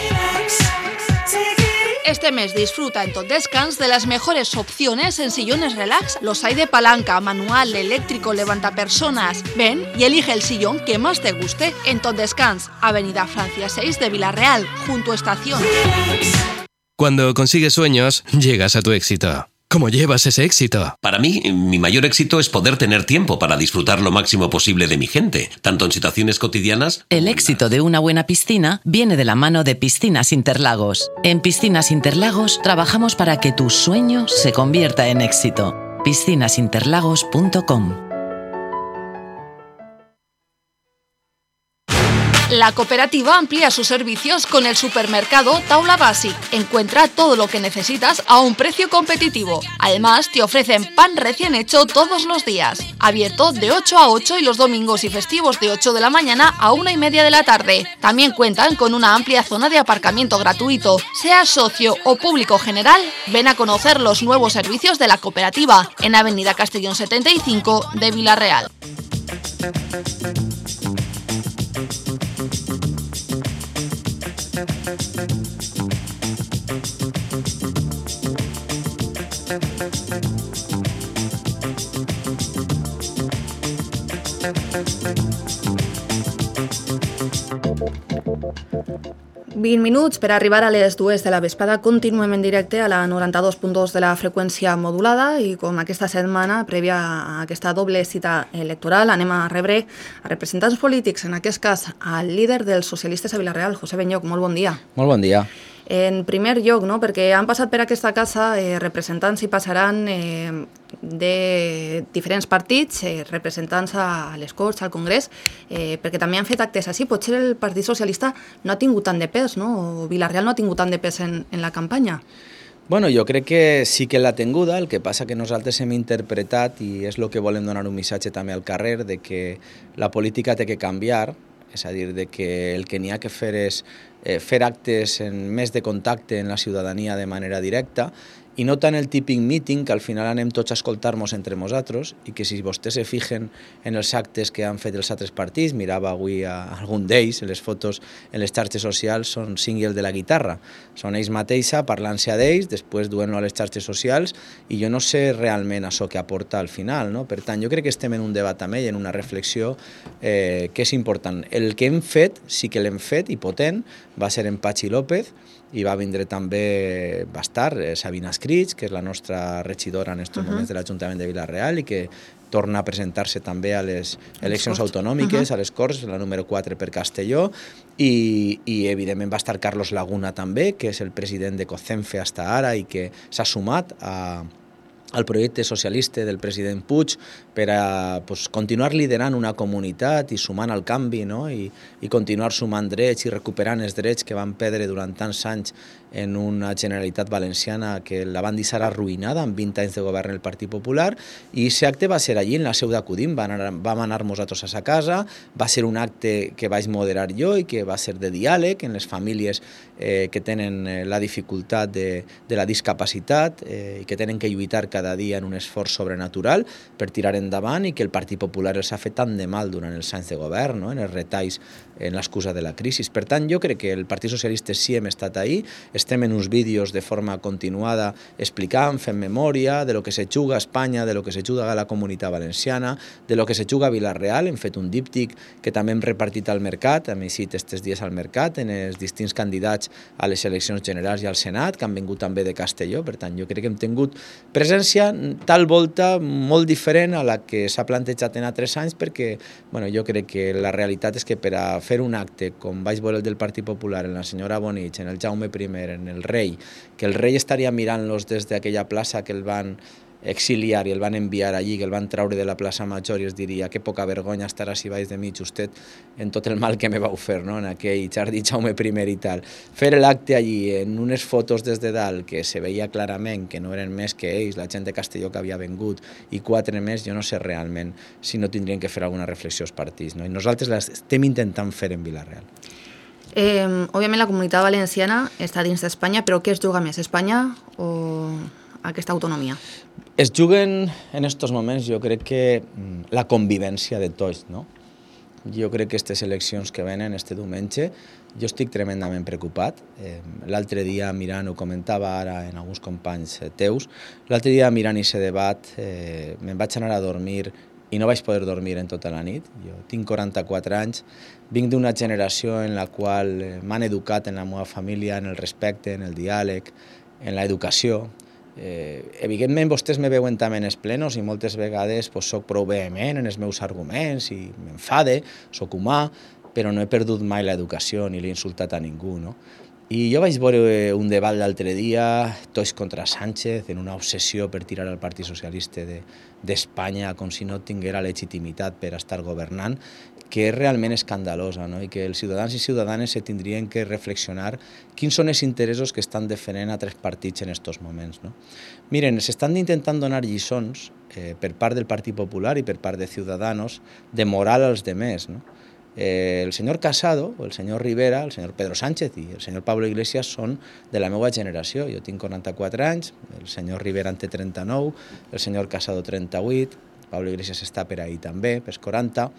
Este mes disfruta en Tot Descans de las mejores opciones en sillones relax. Los hay de palanca, manual, eléctrico, levantapersonas. Ven y elige el sillón que más te guste en Tot Descans, Avenida Francia 6 de Vila-real, junto a Estación. Cuando consigues sueños, llegas a tu éxito. ¿Cómo llevas ese éxito? Para mí, mi mayor éxito es poder tener tiempo para disfrutar lo máximo posible de mi gente, tanto en situaciones cotidianas... El éxito de una buena piscina viene de la mano de Piscinas Interlagos. En Piscinas Interlagos trabajamos para que tu sueño se convierta en éxito. piscinasinterlagos.com. La cooperativa amplía sus servicios con el supermercado Taula Basic. Encuentra todo lo que necesitas a un precio competitivo. Además, te ofrecen pan recién hecho todos los días. Abierto de 8 a 8 y los domingos y festivos de 8 de la mañana a 1:30 de la tarde. También cuentan con una amplia zona de aparcamiento gratuito. Seas socio o público general, ven a conocer los nuevos servicios de la cooperativa en Avenida Castellón 75 de Vila-real. Minuts per arribar a les 2 de la vesprada. Continuem en directe a la 92.2 de la freqüència modulada i com aquesta setmana, prèvia a aquesta doble cita electoral, anem a rebre a representants polítics, en aquest cas al líder dels socialistes a Vila-real, José Benyoch. Molt bon dia. Molt bon dia. En primer lloc, no, perquè han passat per aquesta casa representants i passaran de diferents partits, representants a les Corts, al Congrés, perquè també han fet actes així. Potser el Partit Socialista no ha tingut tant de pes, no? O Vila-real no ha tingut tant de pes en la campanya. Bueno, jo crec que sí que l'ha tinguda, el que passa que nosaltres hem interpretat, i és el que volem donar un missatge també al carrer, de que la política té que canviar, és a dir, de que el que n'hi ha que fer és fer actes més de contacte en la ciutadania de manera directa i no tant el típic meeting que al final anem tots a escoltar-nos entre nosaltres i que si vostès se fijen en els actes que han fet els altres partits, mirava avui a algun d'ells, les fotos en les xarxes socials són single de la guitarra, són ells mateixa parlant-se a d'ells, després duent-lo a les xarxes socials i jo no sé realment això que aporta al final, no? Per tant, jo crec que estem en un debat amb ell, en una reflexió que és important. El que hem fet, sí que l'hem fet i potent, va ser en Patxi López, i va vindre també, va estar Sabina Escrits, que és la nostra regidora en aquests moments de l'Ajuntament de Vila-real i que torna a presentar-se també a les eleccions autonòmiques, a les Corts, la número 4 per Castelló, i evidentment va estar Carlos Laguna també, que és el president de COCENFE hasta ara i que s'ha sumat al projecte socialista del president Puig per a continuar liderant una comunitat i sumant al canvi, no? I continuar sumant drets i recuperant els drets que van perdre durant tants anys en una Generalitat Valenciana que la van deixar arruïnada amb 20 anys de govern el Partit Popular, i aquest acte va ser allí en la seu d'Acudim, vam anar nosaltres a sa casa, va ser un acte que vaig moderar jo i que va ser de diàleg en les famílies que tenen la dificultat de la discapacitat i que tenen que lluitar cada dia en un esforç sobrenatural per tirar endavant i que el Partit Popular els ha fet tant de mal durant els anys de govern, no? En els retalls, en l'excusa de la crisi. Per tant, jo crec que el Partit Socialista sí hem estat ahí, estem en uns vídeos de forma continuada explicant, fent memòria de lo que se juga a Espanya, de lo que se juga a la Comunitat Valenciana, de lo que se juga a Vila-real. Hem fet un díptic que també hem repartit al mercat, hem eixit aquests dies al mercat, en els distints candidats a les eleccions generals i al Senat, que han vingut també de Castelló. Per tant, jo crec que hem tingut presència tal volta molt diferent a la que s'ha plantejat en altres anys, perquè jo crec que la realitat és que per a fer un acte com vaig veure el del Partit Popular, en la senyora Bonich, en el Jaume I, en el rei, que el rei estaria mirant-los des d'aquella plaça que el van exiliar i el van enviar allí, que el van traure de la plaça Major, i es diria que poca vergonya estarà si vaig de mig usted en tot el mal que me vau fer, no? En aquell jardí Jaume I i tal. Fer l'acte allí en unes fotos des de dalt que se veia clarament que no eren més que ells, la gent de Castelló que havia vengut i 4 més, jo no sé realment si no tindrien que fer alguna reflexió als partits, no? I nosaltres l'estem intentant fer en Vila-real. Òbviament la Comunitat Valenciana està dins d'Espanya, però què es juga més, Espanya o aquesta autonomia? Es juguen en aquests moments, jo crec que la convivència de tots, no? Jo crec que aquestes eleccions que venen este diumenge, jo estic tremendament preocupat. L'altre dia mirant, ho comentava ara en alguns companys teus, l'altre dia mirant aquest debat me'n vaig anar a dormir i no vaig poder dormir en tota la nit. Jo tinc 44 anys, vinc d'una generació en la qual m'han educat en la meva família, en el respecte, en el diàleg, en l'educació. Evidentment vostès me veuen també en els plenos i moltes vegades soc prou vehement en els meus arguments i m'enfade, soc humà, però no he perdut mai l'educació ni l'he insultat a ningú, no? I jo vaig veure un debat l'altre dia, tots contra Sánchez, en una obsessió per tirar al Partit Socialista d'Espanya com si no tinguera legitimitat per estar governant, que és realment escandalosa, no? I que els ciutadans i ciutadanes se tindrien que reflexionar quins són els interessos que estan defendent altres partits en aquests moments, no? Miren, s'estan intentant donar lliçons per part del Partit Popular i per part de Ciudadanos de moral als demés, no? El senyor Casado, el senyor Rivera, el senyor Pedro Sánchez i el senyor Pablo Iglesias són de la meva generació. Jo tinc 44 anys, el senyor Rivera en té 39, el senyor Casado 38, Pablo Iglesias està per ahí també, pels 40,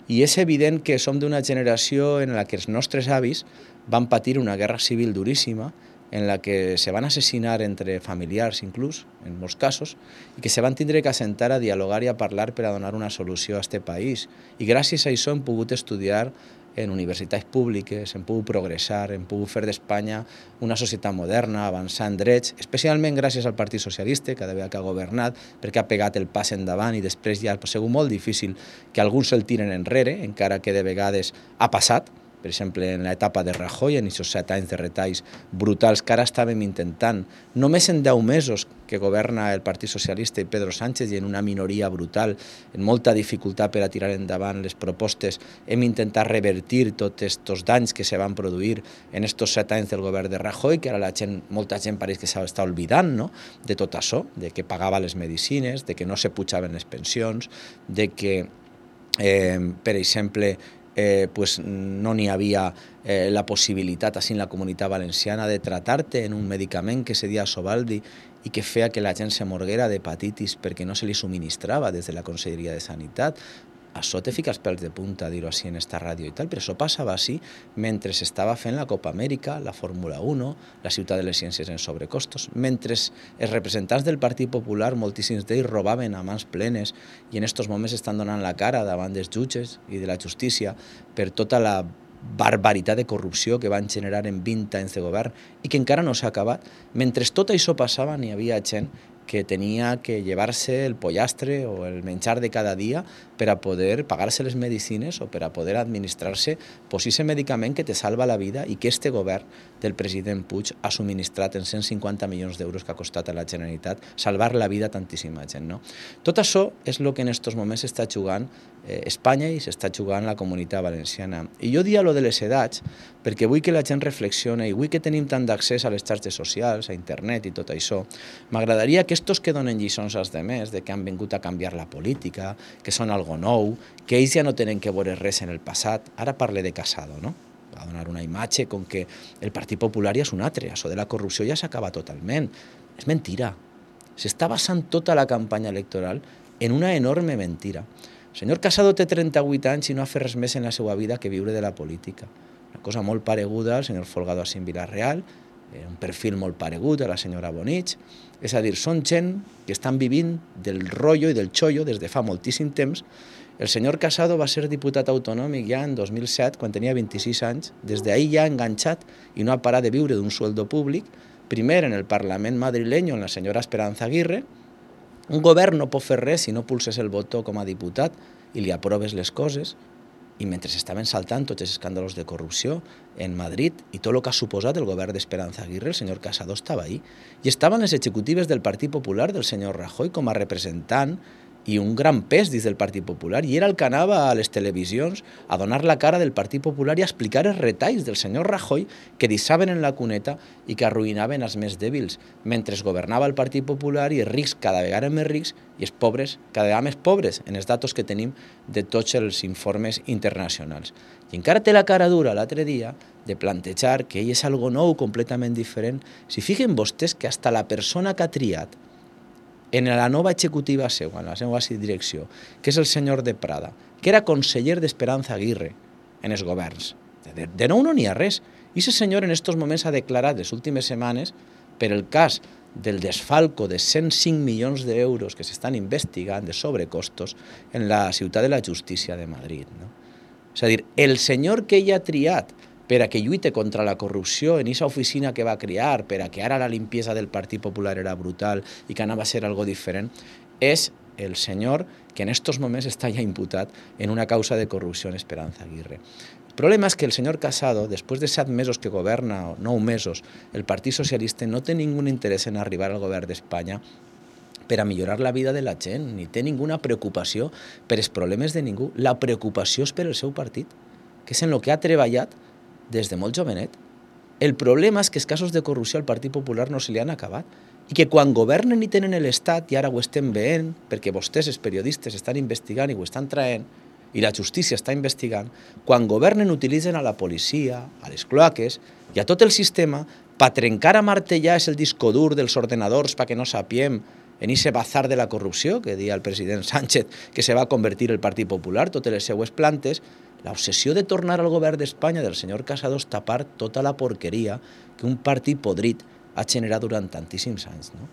i és evident que som d'una generació en la que els nostres avis van patir una guerra civil duríssima, en la que se van assassinar entre familiars inclús, en molts casos, i que se van tindre que assentar a dialogar i a parlar per a donar una solució a aquest país. I gràcies a això hem pogut estudiar en universitats públiques, hem pogut progressar, hem pogut fer d'Espanya una societat moderna, avançar en drets, especialment gràcies al Partit Socialista, cada vegada que ha governat, perquè ha pegat el pas endavant i després ja ha sigut molt difícil que alguns se'l tiren enrere, encara que de vegades ha passat, per exemple, en l'etapa de Rajoy, en aquests 7 anys de retalls brutals que ara estàvem intentant. Només en 10 mesos que governa el Partit Socialista i Pedro Sánchez i en una minoria brutal, en molta dificultat per a tirar endavant les propostes, hem intentat revertir tots aquests danys que se van produir en aquests 7 anys del govern de Rajoy, que ara molta gent pareix que s'està oblidant, no?, de tot això, de que pagava les medicines, de que no se pujaven les pensions, de que, per exemple, pues no n'hi havia la possibilitat, així en la Comunitat Valenciana, de tratar-te en un medicament que se dia Sovaldi i que feia que la gent se morguera d'hepatitis perquè no se li subministrava des de la Conselleria de Sanitat. Això te fica els pèls de punta, dir-ho així en esta ràdio i tal, però això passava així mentre s'estava fent la Copa Amèrica, la Fórmula 1, la Ciutat de les Ciències en sobrecostos, mentre els representants del Partit Popular, moltíssims d'ells, robaven a mans plenes i en aquests moments estan donant la cara davant dels jutges i de la justícia per tota la barbaritat de corrupció que van generar en 20 anys de govern i que encara no s'ha acabat. Mentre tot això passava, n'hi havia gent que tenia que llevar-se el pollastre o el menjar de cada dia per a poder pagar-se les medicines o per a poder administrar-se aquest medicament que te salva la vida i que este govern del president Puig ha subministrat en 150 milions d'euros que ha costat a la Generalitat salvar la vida a tantíssima gent, no? Tot això és el que en aquests moments s'està jugant Espanya i s'està jugant la Comunitat Valenciana. I jo dia lo de les edats perquè vull que la gent reflexione i vull que tenim tant d'accés a les xarxes socials, a internet i tot això. M'agradaria que estos que donen lliçons als demés de que han vingut a canviar la política, que són algo nou, que ells ja no tenen que veure res en el passat. Ara parle de Casado, no? Va donar una imatge com que el Partit Popular ja és un altre, això de la corrupció ja s'acaba totalment. És mentira. S'està basant tota la campanya electoral en una enorme mentira. El senyor Casado té 38 anys i no ha fet res més en la seva vida que viure de la política. Una cosa molt pareguda al senyor Folgado Assín Villarreal, un perfil molt paregut a la senyora Bonich. És a dir, són gent que estan vivint del rotllo i del xollo des de fa moltíssim temps. El senyor Casado va ser diputat autonòmic ja en 2007, quan tenia 26 anys. Des d'ahir ja ha enganxat i no ha parat de viure d'un sueldo públic. Primer en el Parlament madrileño, en la senyora Esperanza Aguirre. Un govern no pot fer res si no pulses el botó com a diputat i li aproves les coses. I mentre s'estaven saltant tots els escàndols de corrupció en Madrid i tot el que ha suposat el govern d'Esperanza Aguirre, el senyor Casado estava ahí. I estaven les executives del Partit Popular del senyor Rajoy com a representant i un gran pes dins del Partit Popular, i era el que anava a les televisions a donar la cara del Partit Popular i a explicar els retalls del senyor Rajoy que deixaven en la cuneta i que arruïnaven els més dèbils, mentre governava el Partit Popular i els rics cada vegada més rics i els pobres cada vegada més pobres, en els datos que tenim de tots els informes internacionals. I encara té la cara dura l'altre dia de plantejar que ell és algo nou, completament diferent. Si fiquen vostès que hasta la persona que ha triat en la nova executiva seva, en la seva direcció, que és el senyor de Prada, que era conseller d'Esperanza Aguirre en els governs. De nou no n'hi ha res. I aquest senyor en aquests moments ha declarat les últimes setmanes per el cas del desfalco de 105 milions d'euros que s'estan investigant de sobrecostos en la Ciutat de la Justícia de Madrid, no? És a dir, el senyor que ell ha triat per a que lluite contra la corrupció en aquesta oficina que va crear, per a que ara la limpiesa del Partit Popular era brutal i que anava a ser algo diferent, és el senyor que en aquests moments està ja imputat en una causa de corrupció en Esperanza Aguirre. problema és que el senyor Casado, després de 7 mesos que governa, o 9 mesos, el Partit Socialista no té ningú interès en arribar al govern d'Espanya per a millorar la vida de la gent, ni té ninguna preocupació per els problemes de ningú. La preocupació és per el seu partit, que és en el que ha treballat des de molt jovenet. El problema és que els casos de corrupció al Partit Popular no se li han acabat i que quan governen i tenen l'Estat, i ara ho estem veient, perquè vostès, els periodistes, estan investigant i ho estan traient, i la justícia està investigant, quan governen utilitzen a la policia, a les cloaques i a tot el sistema per trencar a martellar és el disco dur dels ordenadors perquè no sapiem en ese bazar de la corrupció que deia el president Sánchez que se va convertir el Partit Popular, totes les seues plantes, l'obsessió de tornar al govern d'Espanya del senyor Casado és tapar tota la porqueria que un partit podrit ha generat durant tantíssims anys, no?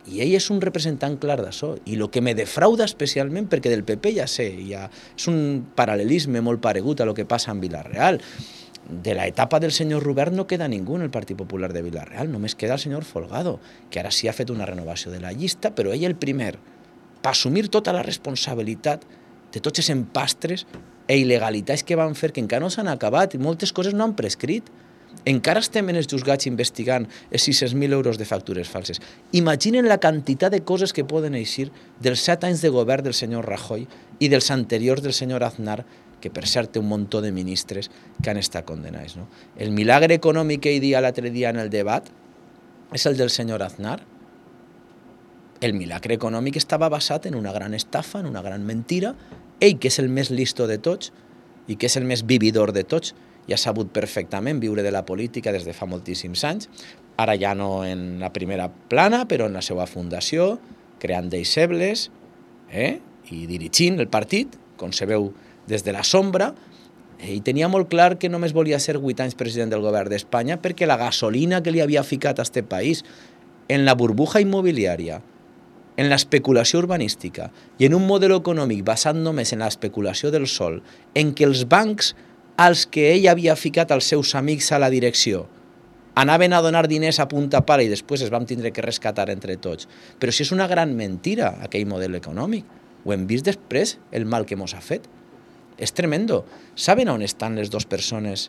I ell és un representant clar d'això. I el que me defrauda especialment, perquè del PP ja sé, és un paral·lelisme molt paregut a lo que passa en Vila-real. De l'etapa del senyor Rubert no queda ningú en el Partit Popular de Vila-real, només queda el senyor Folgado, que ara sí ha fet una renovació de la llista, però ell el primer, per assumir tota la responsabilitat de tots els empastres i il·legalitats que van fer, que encara no s'han acabat i moltes coses no han prescrit. Encara estem en els juzgats investigant els 600.000 euros de factures falses. Imaginen la quantitat de coses que poden eixir dels 7 anys de govern del senyor Rajoy i dels anteriors del senyor Aznar, que per cert té un muntó de ministres que han estat condenats, no? El milagre econòmic que ell dia l'altre dia en el debat és el del senyor Aznar. El milagre econòmic estava basat en una gran estafa, en una gran mentira. Ell, que és el més listo de tots i que és el més vividor de tots, i ha sabut perfectament viure de la política des de fa moltíssims anys, ara ja no en la primera plana, però en la seva fundació, creant deixebles i dirigint el partit, com se veu des de la sombra. Ell tenia molt clar que només volia ser 8 anys president del govern d'Espanya perquè la gasolina que li havia ficat a aquest país en la burbuja immobiliària, en l'especulació urbanística i en un model econòmic basat només en l'especulació del sol, en què els bancs als que ell havia ficat els seus amics a la direcció anaven a donar diners a punta pala i després es vam tindre que rescatar entre tots. Però si és una gran mentira aquell model econòmic, ho hem vist després el mal que mos ha fet. És tremendo. Saben on estan les 2 persones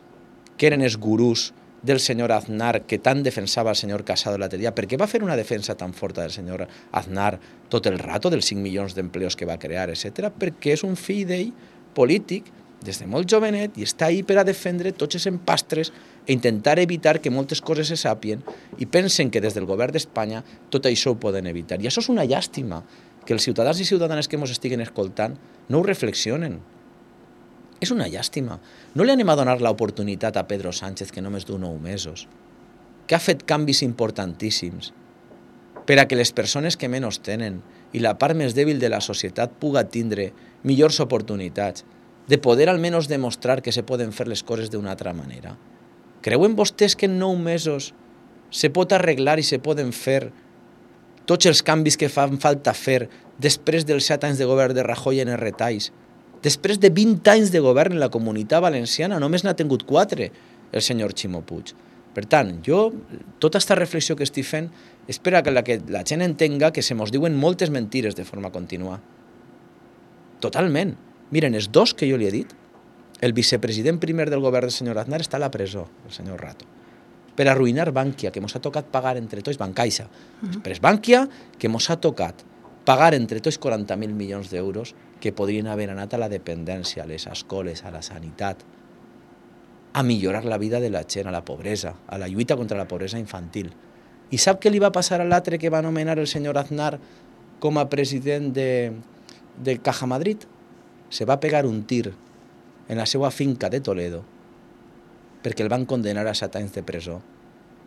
que eren els gurús del senyor Aznar que tant defensava el senyor Casado l'altre dia? Per què va fer una defensa tan forta del senyor Aznar tot el rato, dels 5 milions d'empleos que va crear, etc? Perquè és un fill d'ell polític des de molt jovenet i està ahí per a defendre tots els empastres i intentar evitar que moltes coses se sàpien i pensen que des del govern d'Espanya tot això ho poden evitar. I això és una llàstima, que els ciutadans i ciutadanes que ens estiguen escoltant no ho reflexionen. És una llàstima. No li anem a donar l'oportunitat a Pedro Sánchez, que només du 9 mesos, que ha fet canvis importantíssims per a que les persones que menys tenen i la part més dèbil de la societat puga tindre millors oportunitats, de poder almenys demostrar que se poden fer les coses d'una altra manera. Creuen vostès que en 9 mesos se pot arreglar i se poden fer tots els canvis que fan falta fer després dels 7 anys de govern de Rajoy en els retalls? Després de 20 anys de govern en la Comunitat Valenciana, només n'ha tingut 4 el senyor Ximo Puig. Per tant, jo, tota aquesta reflexió que estic fent, és per a que la gent entenga que se mos diuen moltes mentires de forma contínua. Totalment. Miren, els 2 que jo li he dit, el vicepresident primer del govern del senyor Aznar està a la presó, el senyor Rato, per arruïnar Bankia, que mos ha tocat pagar entre tots, Bancaixa. Després Bankia, que mos ha tocat pagar entre tots 40.000 milions d'euros que podrien haver anat a la dependència, a les escoles, a la sanitat, a millorar la vida de la gent, a la pobresa, a la lluita contra la pobresa infantil. I sap què li va passar a l'altre que va nomenar el senyor Aznar com a president de Caja Madrid? Se va pegar un tir en la seva finca de Toledo perquè el van condenar a 7 anys de presó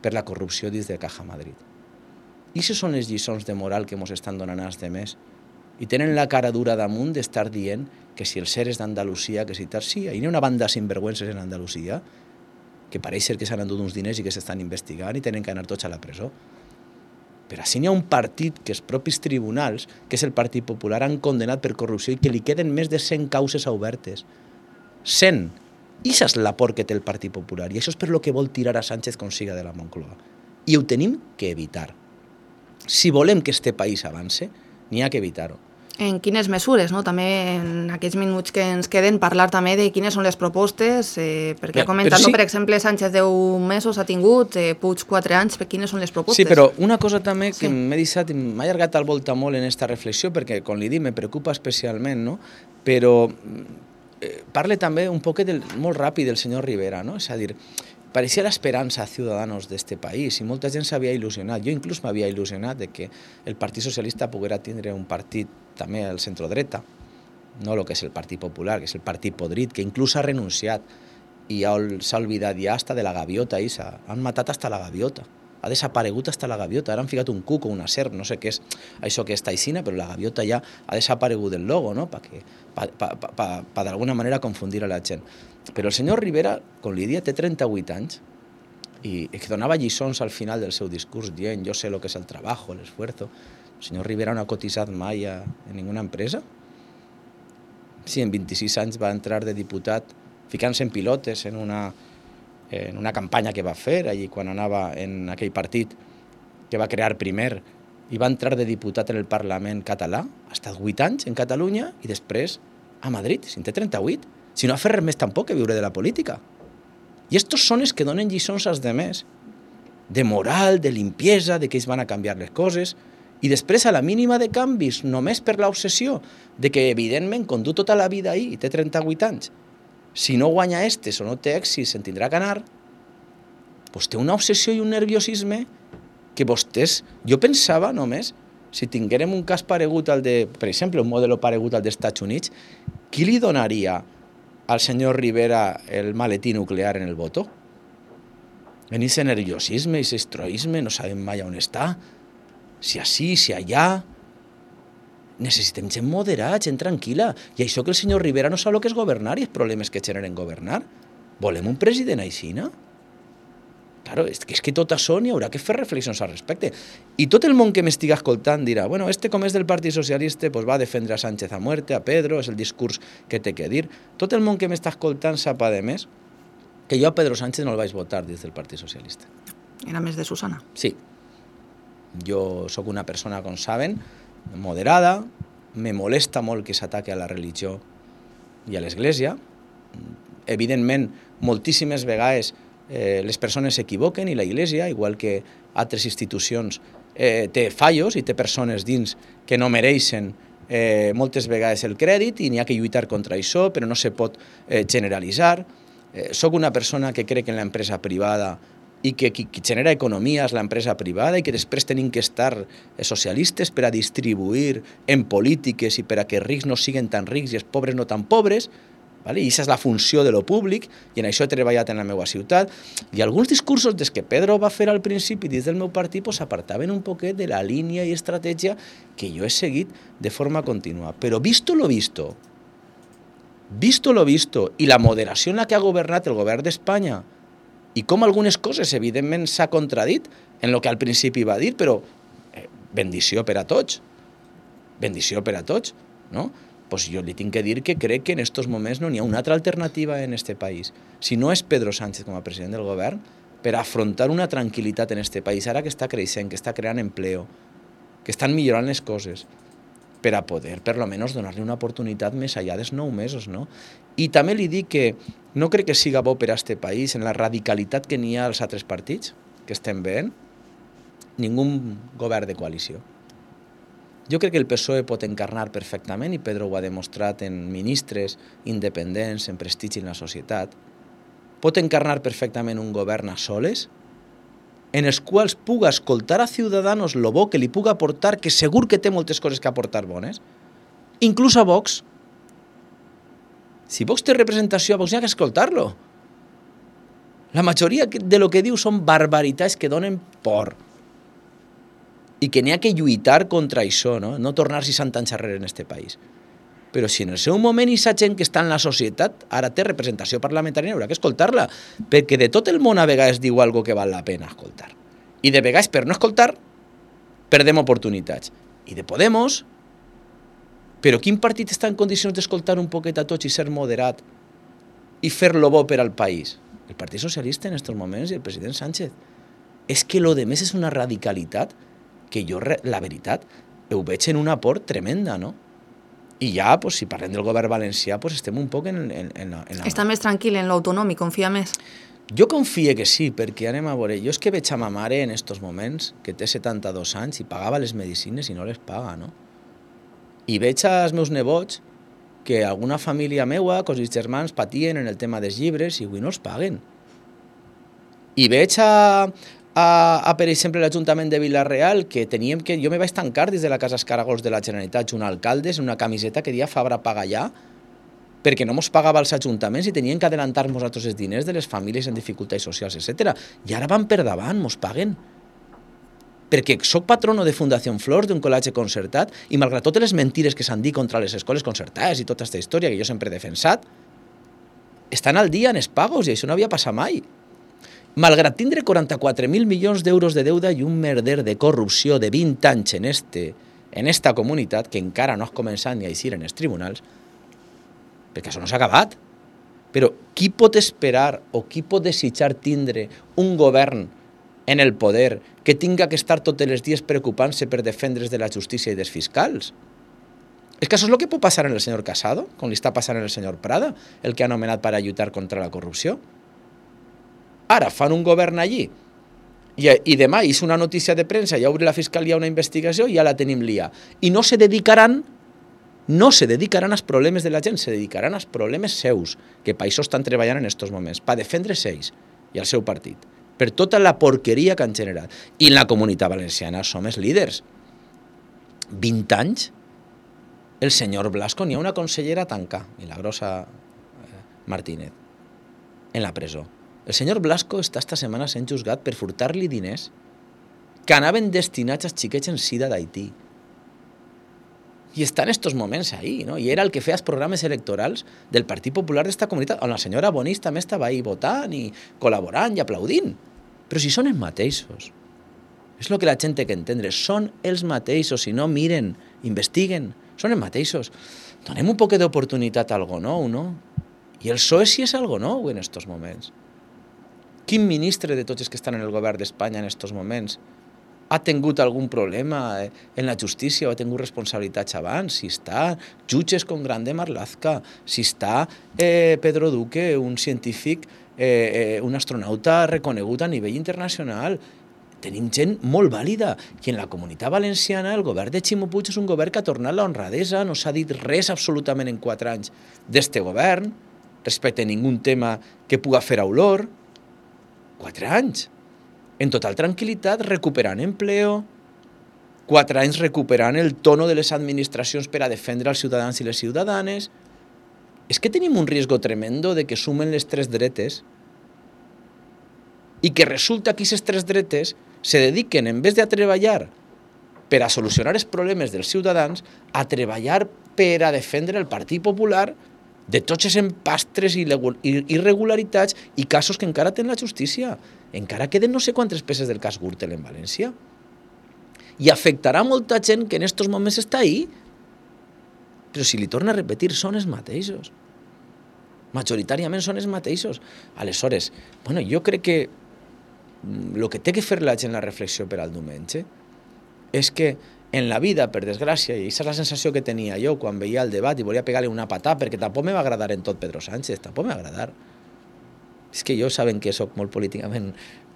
per la corrupció dins de Caja Madrid. I això són les lliçons de moral que ens estan donant als demés. I tenen la cara dura damunt d'estar dient que si els seres d'Andalusia, que si tal, sí, hi ha una banda de sinvergüences en Andalusia que pareix ser que s'han endut uns diners i que s'estan investigant i tenen que anar tots a la presó. Però així n'hi ha un partit que els propis tribunals, que és el Partit Popular, han condenat per corrupció i que li queden més de 100 causes obertes. 100! I això és la por que té el Partit Popular. I això és per lo que vol tirar a Sánchez com siga de la Moncloa. I ho tenim que evitar. Si volem que este país avance, n'hi ha que evitar-ho. En quines mesures, no? També en aquells minuts que ens queden parlar també de quines són les propostes, perquè comentant, per exemple, Sánchez 10 mesos ha tingut, Puig 4 anys, quines són les propostes? Sí, però una cosa també que m'he deixat, m'ha allargat al volta molt en aquesta reflexió, perquè, com li dic, me preocupa especialment, no? Però parle també un poquet molt ràpid del senyor Rivera, no? És a dir, pareixia l'esperança a ciutadans d'este país i molta gent s'havia il·lusionat. Jo inclús m'havia il·lusionat de que el Partit Socialista poguera tindre un partit també al centrodreta, no el que és el Partit Popular, que és el partit podrit, que inclús ha renunciat i s'ha oblidat ja hasta de la gaviota. Han matat hasta la gaviota. Ha desaparegut hasta la gaviota. Ara han ficat un cuc o una serp, no sé què és això que és taixina, però la gaviota ja ha desaparegut del logo, no? Per d'alguna manera confundir a la gent. Però el senyor Rivera, com li dia, té 38 anys i que donava lliçons al final del seu discurs dient jo sé lo que és el trabajo, el esfuerzo. El senyor Rivera no ha cotitzat mai en ninguna empresa. Sí, en 26 anys va entrar de diputat ficant-se en pilotes en una campanya que va fer allí quan anava en aquell partit que va crear primer i va entrar de diputat en el Parlament català, ha estat 8 anys en Catalunya i després a Madrid, si en té 38, si no ha fet res més tampoc que viure de la política. I estos són els que donen lliçons als demés, de moral, de limpiesa, de que ells van a canviar les coses, i després a la mínima de canvis, només per l'obsessió de que evidentment com du tota la vida ahí i té 38 anys, si no guanya estes o no té èxit se'n tindrà que anar, doncs té una obsessió i un nerviosisme que vostès, jo pensava només, si tinguérem un cas paregut al de, per exemple, un model paregut al dels Estats Units, qui li donaria al senyor Rivera el maletí nuclear en el voto? En ese nerviosisme, ese estroisme, no sabem mai on està, si així, si allà. Necessitem gent moderada, gent tranquil·la. I això que el senyor Rivera no sap el que és governar i els problemes que generen governar. Volem un president així, no? Claro, és que tot això n'hi haurà que fer reflexions al respecte. I tot el món que m'estiga escoltant dirà, bueno, com és del Partit Socialista, pues va a defendre a Sánchez a muerte, a Pedro, és el discurs que té que dir. Tot el món que m'està escoltant sap, a més, que jo a Pedro Sánchez no el vaig votar des del Partit Socialista. Era més de Susana. Sí. Jo sóc una persona, com saben, moderada, me molesta molt que s'ataque a la religió i a l'Església. Evidentment, moltíssimes vegades les persones s'equivoquen i la Iglesia, igual que altres institucions, té fallos i té persones dins que no mereixen moltes vegades el crèdit i n'hi ha que lluitar contra això, però no se pot generalitzar. Soc una persona que crec en l'empresa privada i que qui genera economia és l'empresa privada i que després tenim que estar socialistes per a distribuir en polítiques i per a que els rics no siguin tan rics i els pobres no tan pobres, i aquesta és la funció de lo públic i en això he treballat en la meva ciutat. I alguns discursos des que Pedro va fer al principi dins del meu partit s'apartaven un poquet de la línia i estratègia que jo he seguit de forma contínua. Però visto lo visto i la moderació en la que ha governat el govern d'Espanya i com algunes coses evidentment s'ha contradit en el que al principi va dir, però bendició per a tots, no? Pues jo li tinc que dir que crec que en aquests moments no n'hi ha una altra alternativa en este país. Si no és Pedro Sánchez com a president del govern, per afrontar una tranquil·litat en este país, ara que està creixent, que està creant empleo, que estan millorant les coses, per a poder, per almenys, donar-li una oportunitat més enllà dels 9 mesos, no? I també li dic que no crec que siga bo per a este país, en la radicalitat que n'hi ha als altres partits, que estem veient, ningú govern de coalició. Jo crec que el PSOE pot encarnar perfectament, i Pedro ho ha demostrat en ministres independents, en prestigi en la societat, pot encarnar perfectament un govern a soles, en els quals puga escoltar a ciutadans lo bo que li puga aportar, que segur que té moltes coses que aportar bones, inclús a Vox. Si Vox té representació, a Vox n'hi ha que escoltar-lo. La majoria de lo que diu són barbaritats que donen por. I que n'hi ha que lluitar contra això, no tornar 60 anys arrere en este país. Però si en el seu moment aquesta gent que està en la societat ara té representació parlamentària, haurà que escoltar-la, perquè de tot el món a vegades diu algo que val la pena escoltar. I de vegades, per no escoltar, perdem oportunitats. I de Podemos, però quin partit està en condicions d'escoltar un poquet a tots i ser moderat i fer-lo bo per al país? El Partit Socialista en aquests moments i el president Sánchez. És que lo de més és una radicalitat que jo, la veritat, ho veig en una por tremenda, no? I ja, pues, si parlem del govern valencià, pues, estem un poc en la... Està més tranquil en l'autonòmic, confia més? Jo confie que sí, perquè anem a veure, jo és que veig a ma mare en estos moments, que té 72 anys i pagava les medicines i no les paga, no? I veig als meus nebots que alguna família meua, que els germans patien en el tema dels llibres i avui no els paguen. I veig per exemple, l'Ajuntament de Vila-real, que teníem que... Jo me vaig tancar des de la Casa Escaragols de la Generalitat, junt a alcaldes, en una camiseta que deia Fabra paga ja, perquè no mos pagava els ajuntaments i tenien que adelantar-nos nosaltres els diners de les famílies en dificultats socials, etc. I ara van per davant, mos paguen. Perquè soc patrono de Fundació Flors, d'un col·legi concertat, i malgrat totes les mentires que s'han dit contra les escoles concertades i tota aquesta història que jo sempre he defensat, estan al dia en els pagos i això no havia passat mai. Malgrat tindre 44.000 milions d'euros de deuda i un merder de corrupció de 20 anys en esta comunitat, que encara no has començat ni a eixir en els tribunals, perquè això no s'ha acabat. Però qui pot esperar o qui pot desitjar tindre un govern en el poder que tinga que estar tots els dies preocupant-se per defendre's de la justícia i dels fiscals? És que això és el que pot passar en el senyor Casado, com li està passant en el senyor Prada, el que ha nomenat per a lluitar contra la corrupció. Ara fan un govern allí i demà és una notícia de premsa, ja obre la fiscalia una investigació i ja la tenim lia. I no se dedicaran als problemes de la gent, se dedicaran als problemes seus, que per això estan treballant en aquests moments, per defendre's ells i el seu partit, per tota la porqueria que han generat. I en la comunitat valenciana som els líders. 20 anys, el senyor Blasco, n'hi ha una consellera tanca, Milagrosa Martínez, en la presó. El senyor Blasco està esta setmana sent juzgat per furtar-li diners que anaven destinats als xiquets en sida d'Haití. I està en estos moments ahí, no? I era el que feia els programes electorals del Partit Popular d'esta comunitat, on la senyora Bonís també estava ahí votant i col·laborant i aplaudint. Però si són els mateixos. És el que la gent té que entendre. Són els mateixos. Si no, miren, investiguen. Són els mateixos. Donem un poc d'oportunitat a algo nou, no? I el PSOE sí és algo nou en estos moments. Quin ministre de tots els que estan en el govern d'Espanya en estos moments ha tingut algun problema en la justícia o ha tingut responsabilitats abans? Si està jutges com Grande Marlaska, si està Pedro Duque, un científic, un astronauta reconegut a nivell internacional. Tenim gent molt vàlida. I en la comunitat valenciana el govern de Ximo Puig és un govern que ha tornat la honradesa, no s'ha dit res absolutament en 4 anys d'este govern, respecte a ningun tema que puga fer olor. 4 anys. En total tranquil·litat, recuperant empleo, 4 anys recuperant el tono de les administracions per a defendre els ciutadans i les ciutadanes. És que tenim un risc tremendo de que sumen les 3 dretes i que resulta que aquestes 3 dretes se dediquen, en vez de a treballar per a solucionar els problemes dels ciutadans, a treballar per a defendre el Partit Popular de tots els empastres i irregularitats i casos que encara tenen la justícia. Encara queden no sé quantes peces del cas Gürtel en València. I afectarà molta gent que en estos moments està ahí. Però si li torna a repetir, són els mateixos. Majoritàriament són els mateixos. Aleshores, jo crec que el que té que fer la gent la reflexió per al diumenge és que en la vida, per desgràcia, i aquesta és la sensació que tenia jo quan veia el debat i volia pegar-li una patà, perquè tampoc me va agradar en tot Pedro Sánchez, tampoc me va agradar. És que jo saben que soc molt políticament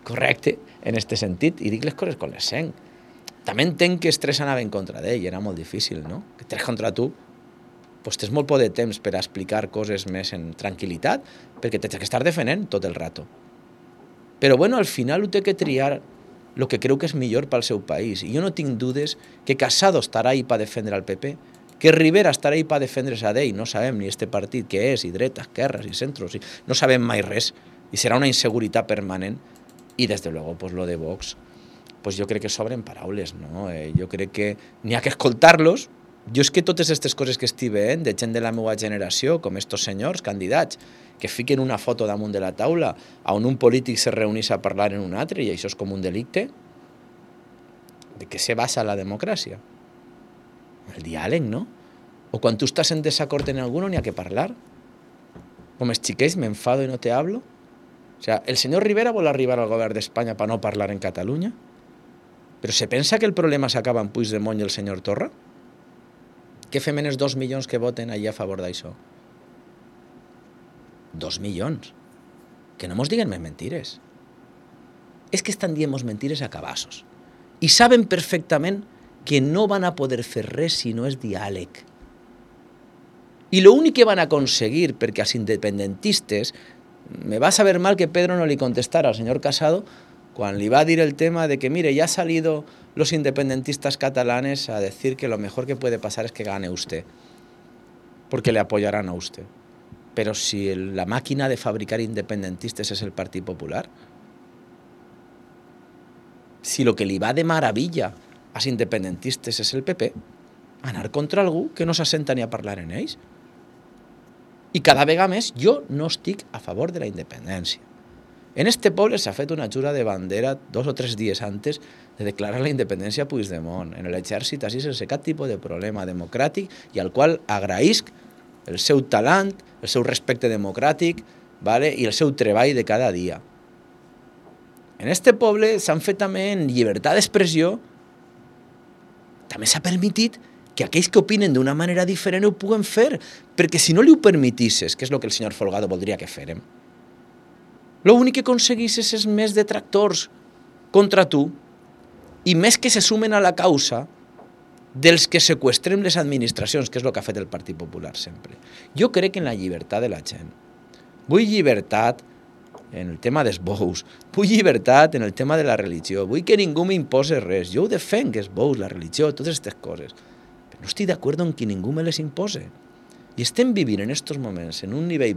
correcte en aquest sentit i dic les coses com les sent. També entenc que els 3 anaven contra d'ell, era molt difícil, no? Que 3 contra tu, doncs tens molt poc de temps per a explicar coses més en tranquil·litat, perquè tens que estar defendent tot el rato. Però al final ho té que triar el que creu que és millor pel seu país. I jo no tinc dudes que Casado estarà ahí per defendre el PP, que Rivera estarà ahí per defendre's a d'ell, no sabem ni este partit què és, i dreta, esquerres, i centros, no sabem mai res, i serà una inseguretat permanent, i des de luego, lo de Vox, jo crec que sobren paraules, no? Jo crec que n'hi ha que escoltar-los. Jo és que totes aquestes coses que estic veient, de gent de la meva generació, com estos senyors candidats, que fiquen una foto damunt de la taula on un polític se reunís a parlar en un altre i això és com un delicte, de què se basa la democràcia? El diàleg, no? O quan tu estàs en desacord en algú n'hi ha que parlar. Com els xiquets, m'enfado i no te hablo. O sea, el senyor Rivera vol arribar al govern d'Espanya per no parlar en Catalunya, però se pensa que el problema s'acaba en Puigdemont i el senyor Torra? Què fem en els 2 milions que voten allà a favor d'això? 2 milions. Que no mos diguen més mentires. És que estan dient-nos mentires a cabassos. I saben perfectament que no van a poder fer res si no és diàleg. I l'únic que van aconseguir, perquè als independentistes, me va saber mal que Pedro no li contestara al senyor Casado quan li va dir el tema de que, mire, ya han salido los independentistas catalanes a decir que lo mejor que puede pasar es que gane usted, porque le apoyarán a usted. Pero si la máquina de fabricar independentistes es el Partit Popular, si lo que li va de maravilla als independentistes és el PP, anar contra algú que no s'assenta ni a parlar en ells. I cada vegada més jo no estic a favor de la independència. En este poble s'ha fet una jura de bandera 2 o 3 dies antes de declarar la independència a Puigdemont. En l'exèrcit, així sense cap tipus de problema democràtic i al qual agraïsc el seu talent, el seu respecte democràtic, vale? I el seu treball de cada dia. En este poble s'han fet també en llibertat d'expressió, també s'ha permitit que aquells que opinen d'una manera diferent ho puguen fer, perquè si no li ho permetisses, que és el que el senyor Folgado voldria que fèrem, l'únic que aconseguisses és més detractors contra tu i més que se sumen a la causa dels que seqüestrem les administracions, que és el que ha fet el Partit Popular sempre. Jo crec en la llibertat de la gent. Vull llibertat en el tema dels bous, vull llibertat en el tema de la religió, vull que ningú m'impose res. Jo ho defenc, els bous, la religió, totes aquestes coses. Però no estic d'acord en que ningú me les impose. I estem vivint en aquests moments en un nivell